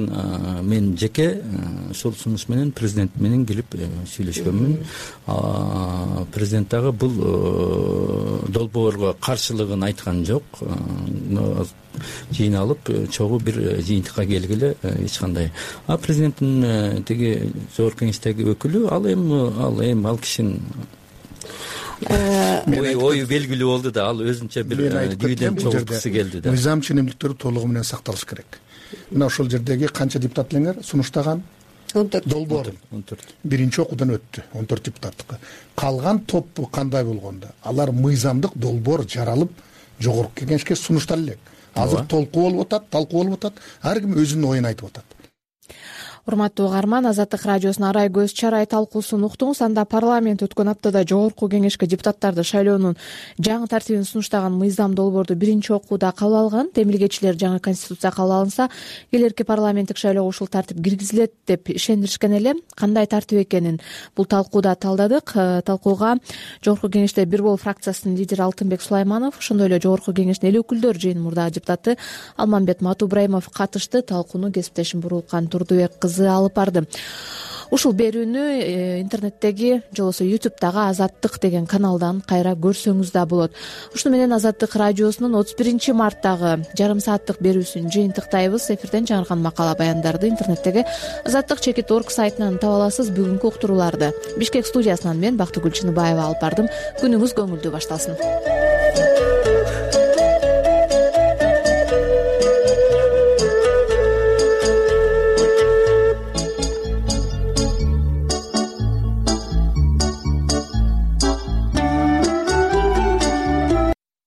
мен жеке ушул сунуш менен президент менен келип сүйлөшкөнмүн. Президент дагы бул долбоорго каршылыгын айткан жок. Жыйналып чогуу бир жыйынтыкка келгиле эч кандай. Президенттин тиги жогорку кеңештеги өкүлү ал кишинин ою белгилүү болду да, ал өзүнчө бир дүйдөн чогулткысы келди да. Мыйзам ченемдиктери толугу менен сакталыш керек. Мына ошол жердеги канча депутат элеңер сунуштаган? 14 долбоор. 14. Биринчи окуудан өттү 14 депутаттыкы. Калган топ кандай болгондо? Алар мыйзамдык долбоор жаралып жогорку кеңешке сунуштала элек. Азыр талкуу болуп атат. Ар ким өзүнүн оюн айтып атат. Урматтуу угарман, Азаттык радиосунун арай көз чарай талкуусун уктуңуз. Анда парламент өткөн аптада жогорку кеңешке депутаттарды шайлоонун жаңы тартибин сунуштаган мыйзам долбоорду биринчи окууда кабыл алган. Демилгечилер жаңы конституция кабыл алынса, келерки парламенттик шайлоого ушул тартип киргизилет деп ишендиришкен эле. Кандай тартип экенин бул талкууда талдадык. Талкууга жогорку кеңеште бир бол фракциясынын лидери Алтынбек Сулайманов, ошондой эле жогорку кеңештин эл өкүлдөр жыйынынын мурдагы депутаты Алмамбет Матубраимов катышты. Талкууну кесиптешим Буруулкан Турдубек кызы алып барды. Ушул берүүнү интернеттеги же болбосо YouTube'дагы Азаттык деген каналдан кайра көрсөңүз да болот. Ушуну менен Азаттык радиосунун 31 марттагы жарым сааттык берүүсүн жыйынтыктайбыз. Эфирден жаңырган макала баяндарды интернеттеги azattik.org сайтынан таба аласыз. Бүгүнкү уктурууларды Бишкек студиясынан мен Бактыгүл Чыныбаева алып бардым. Күнүңүз көңүлдүү башталсын.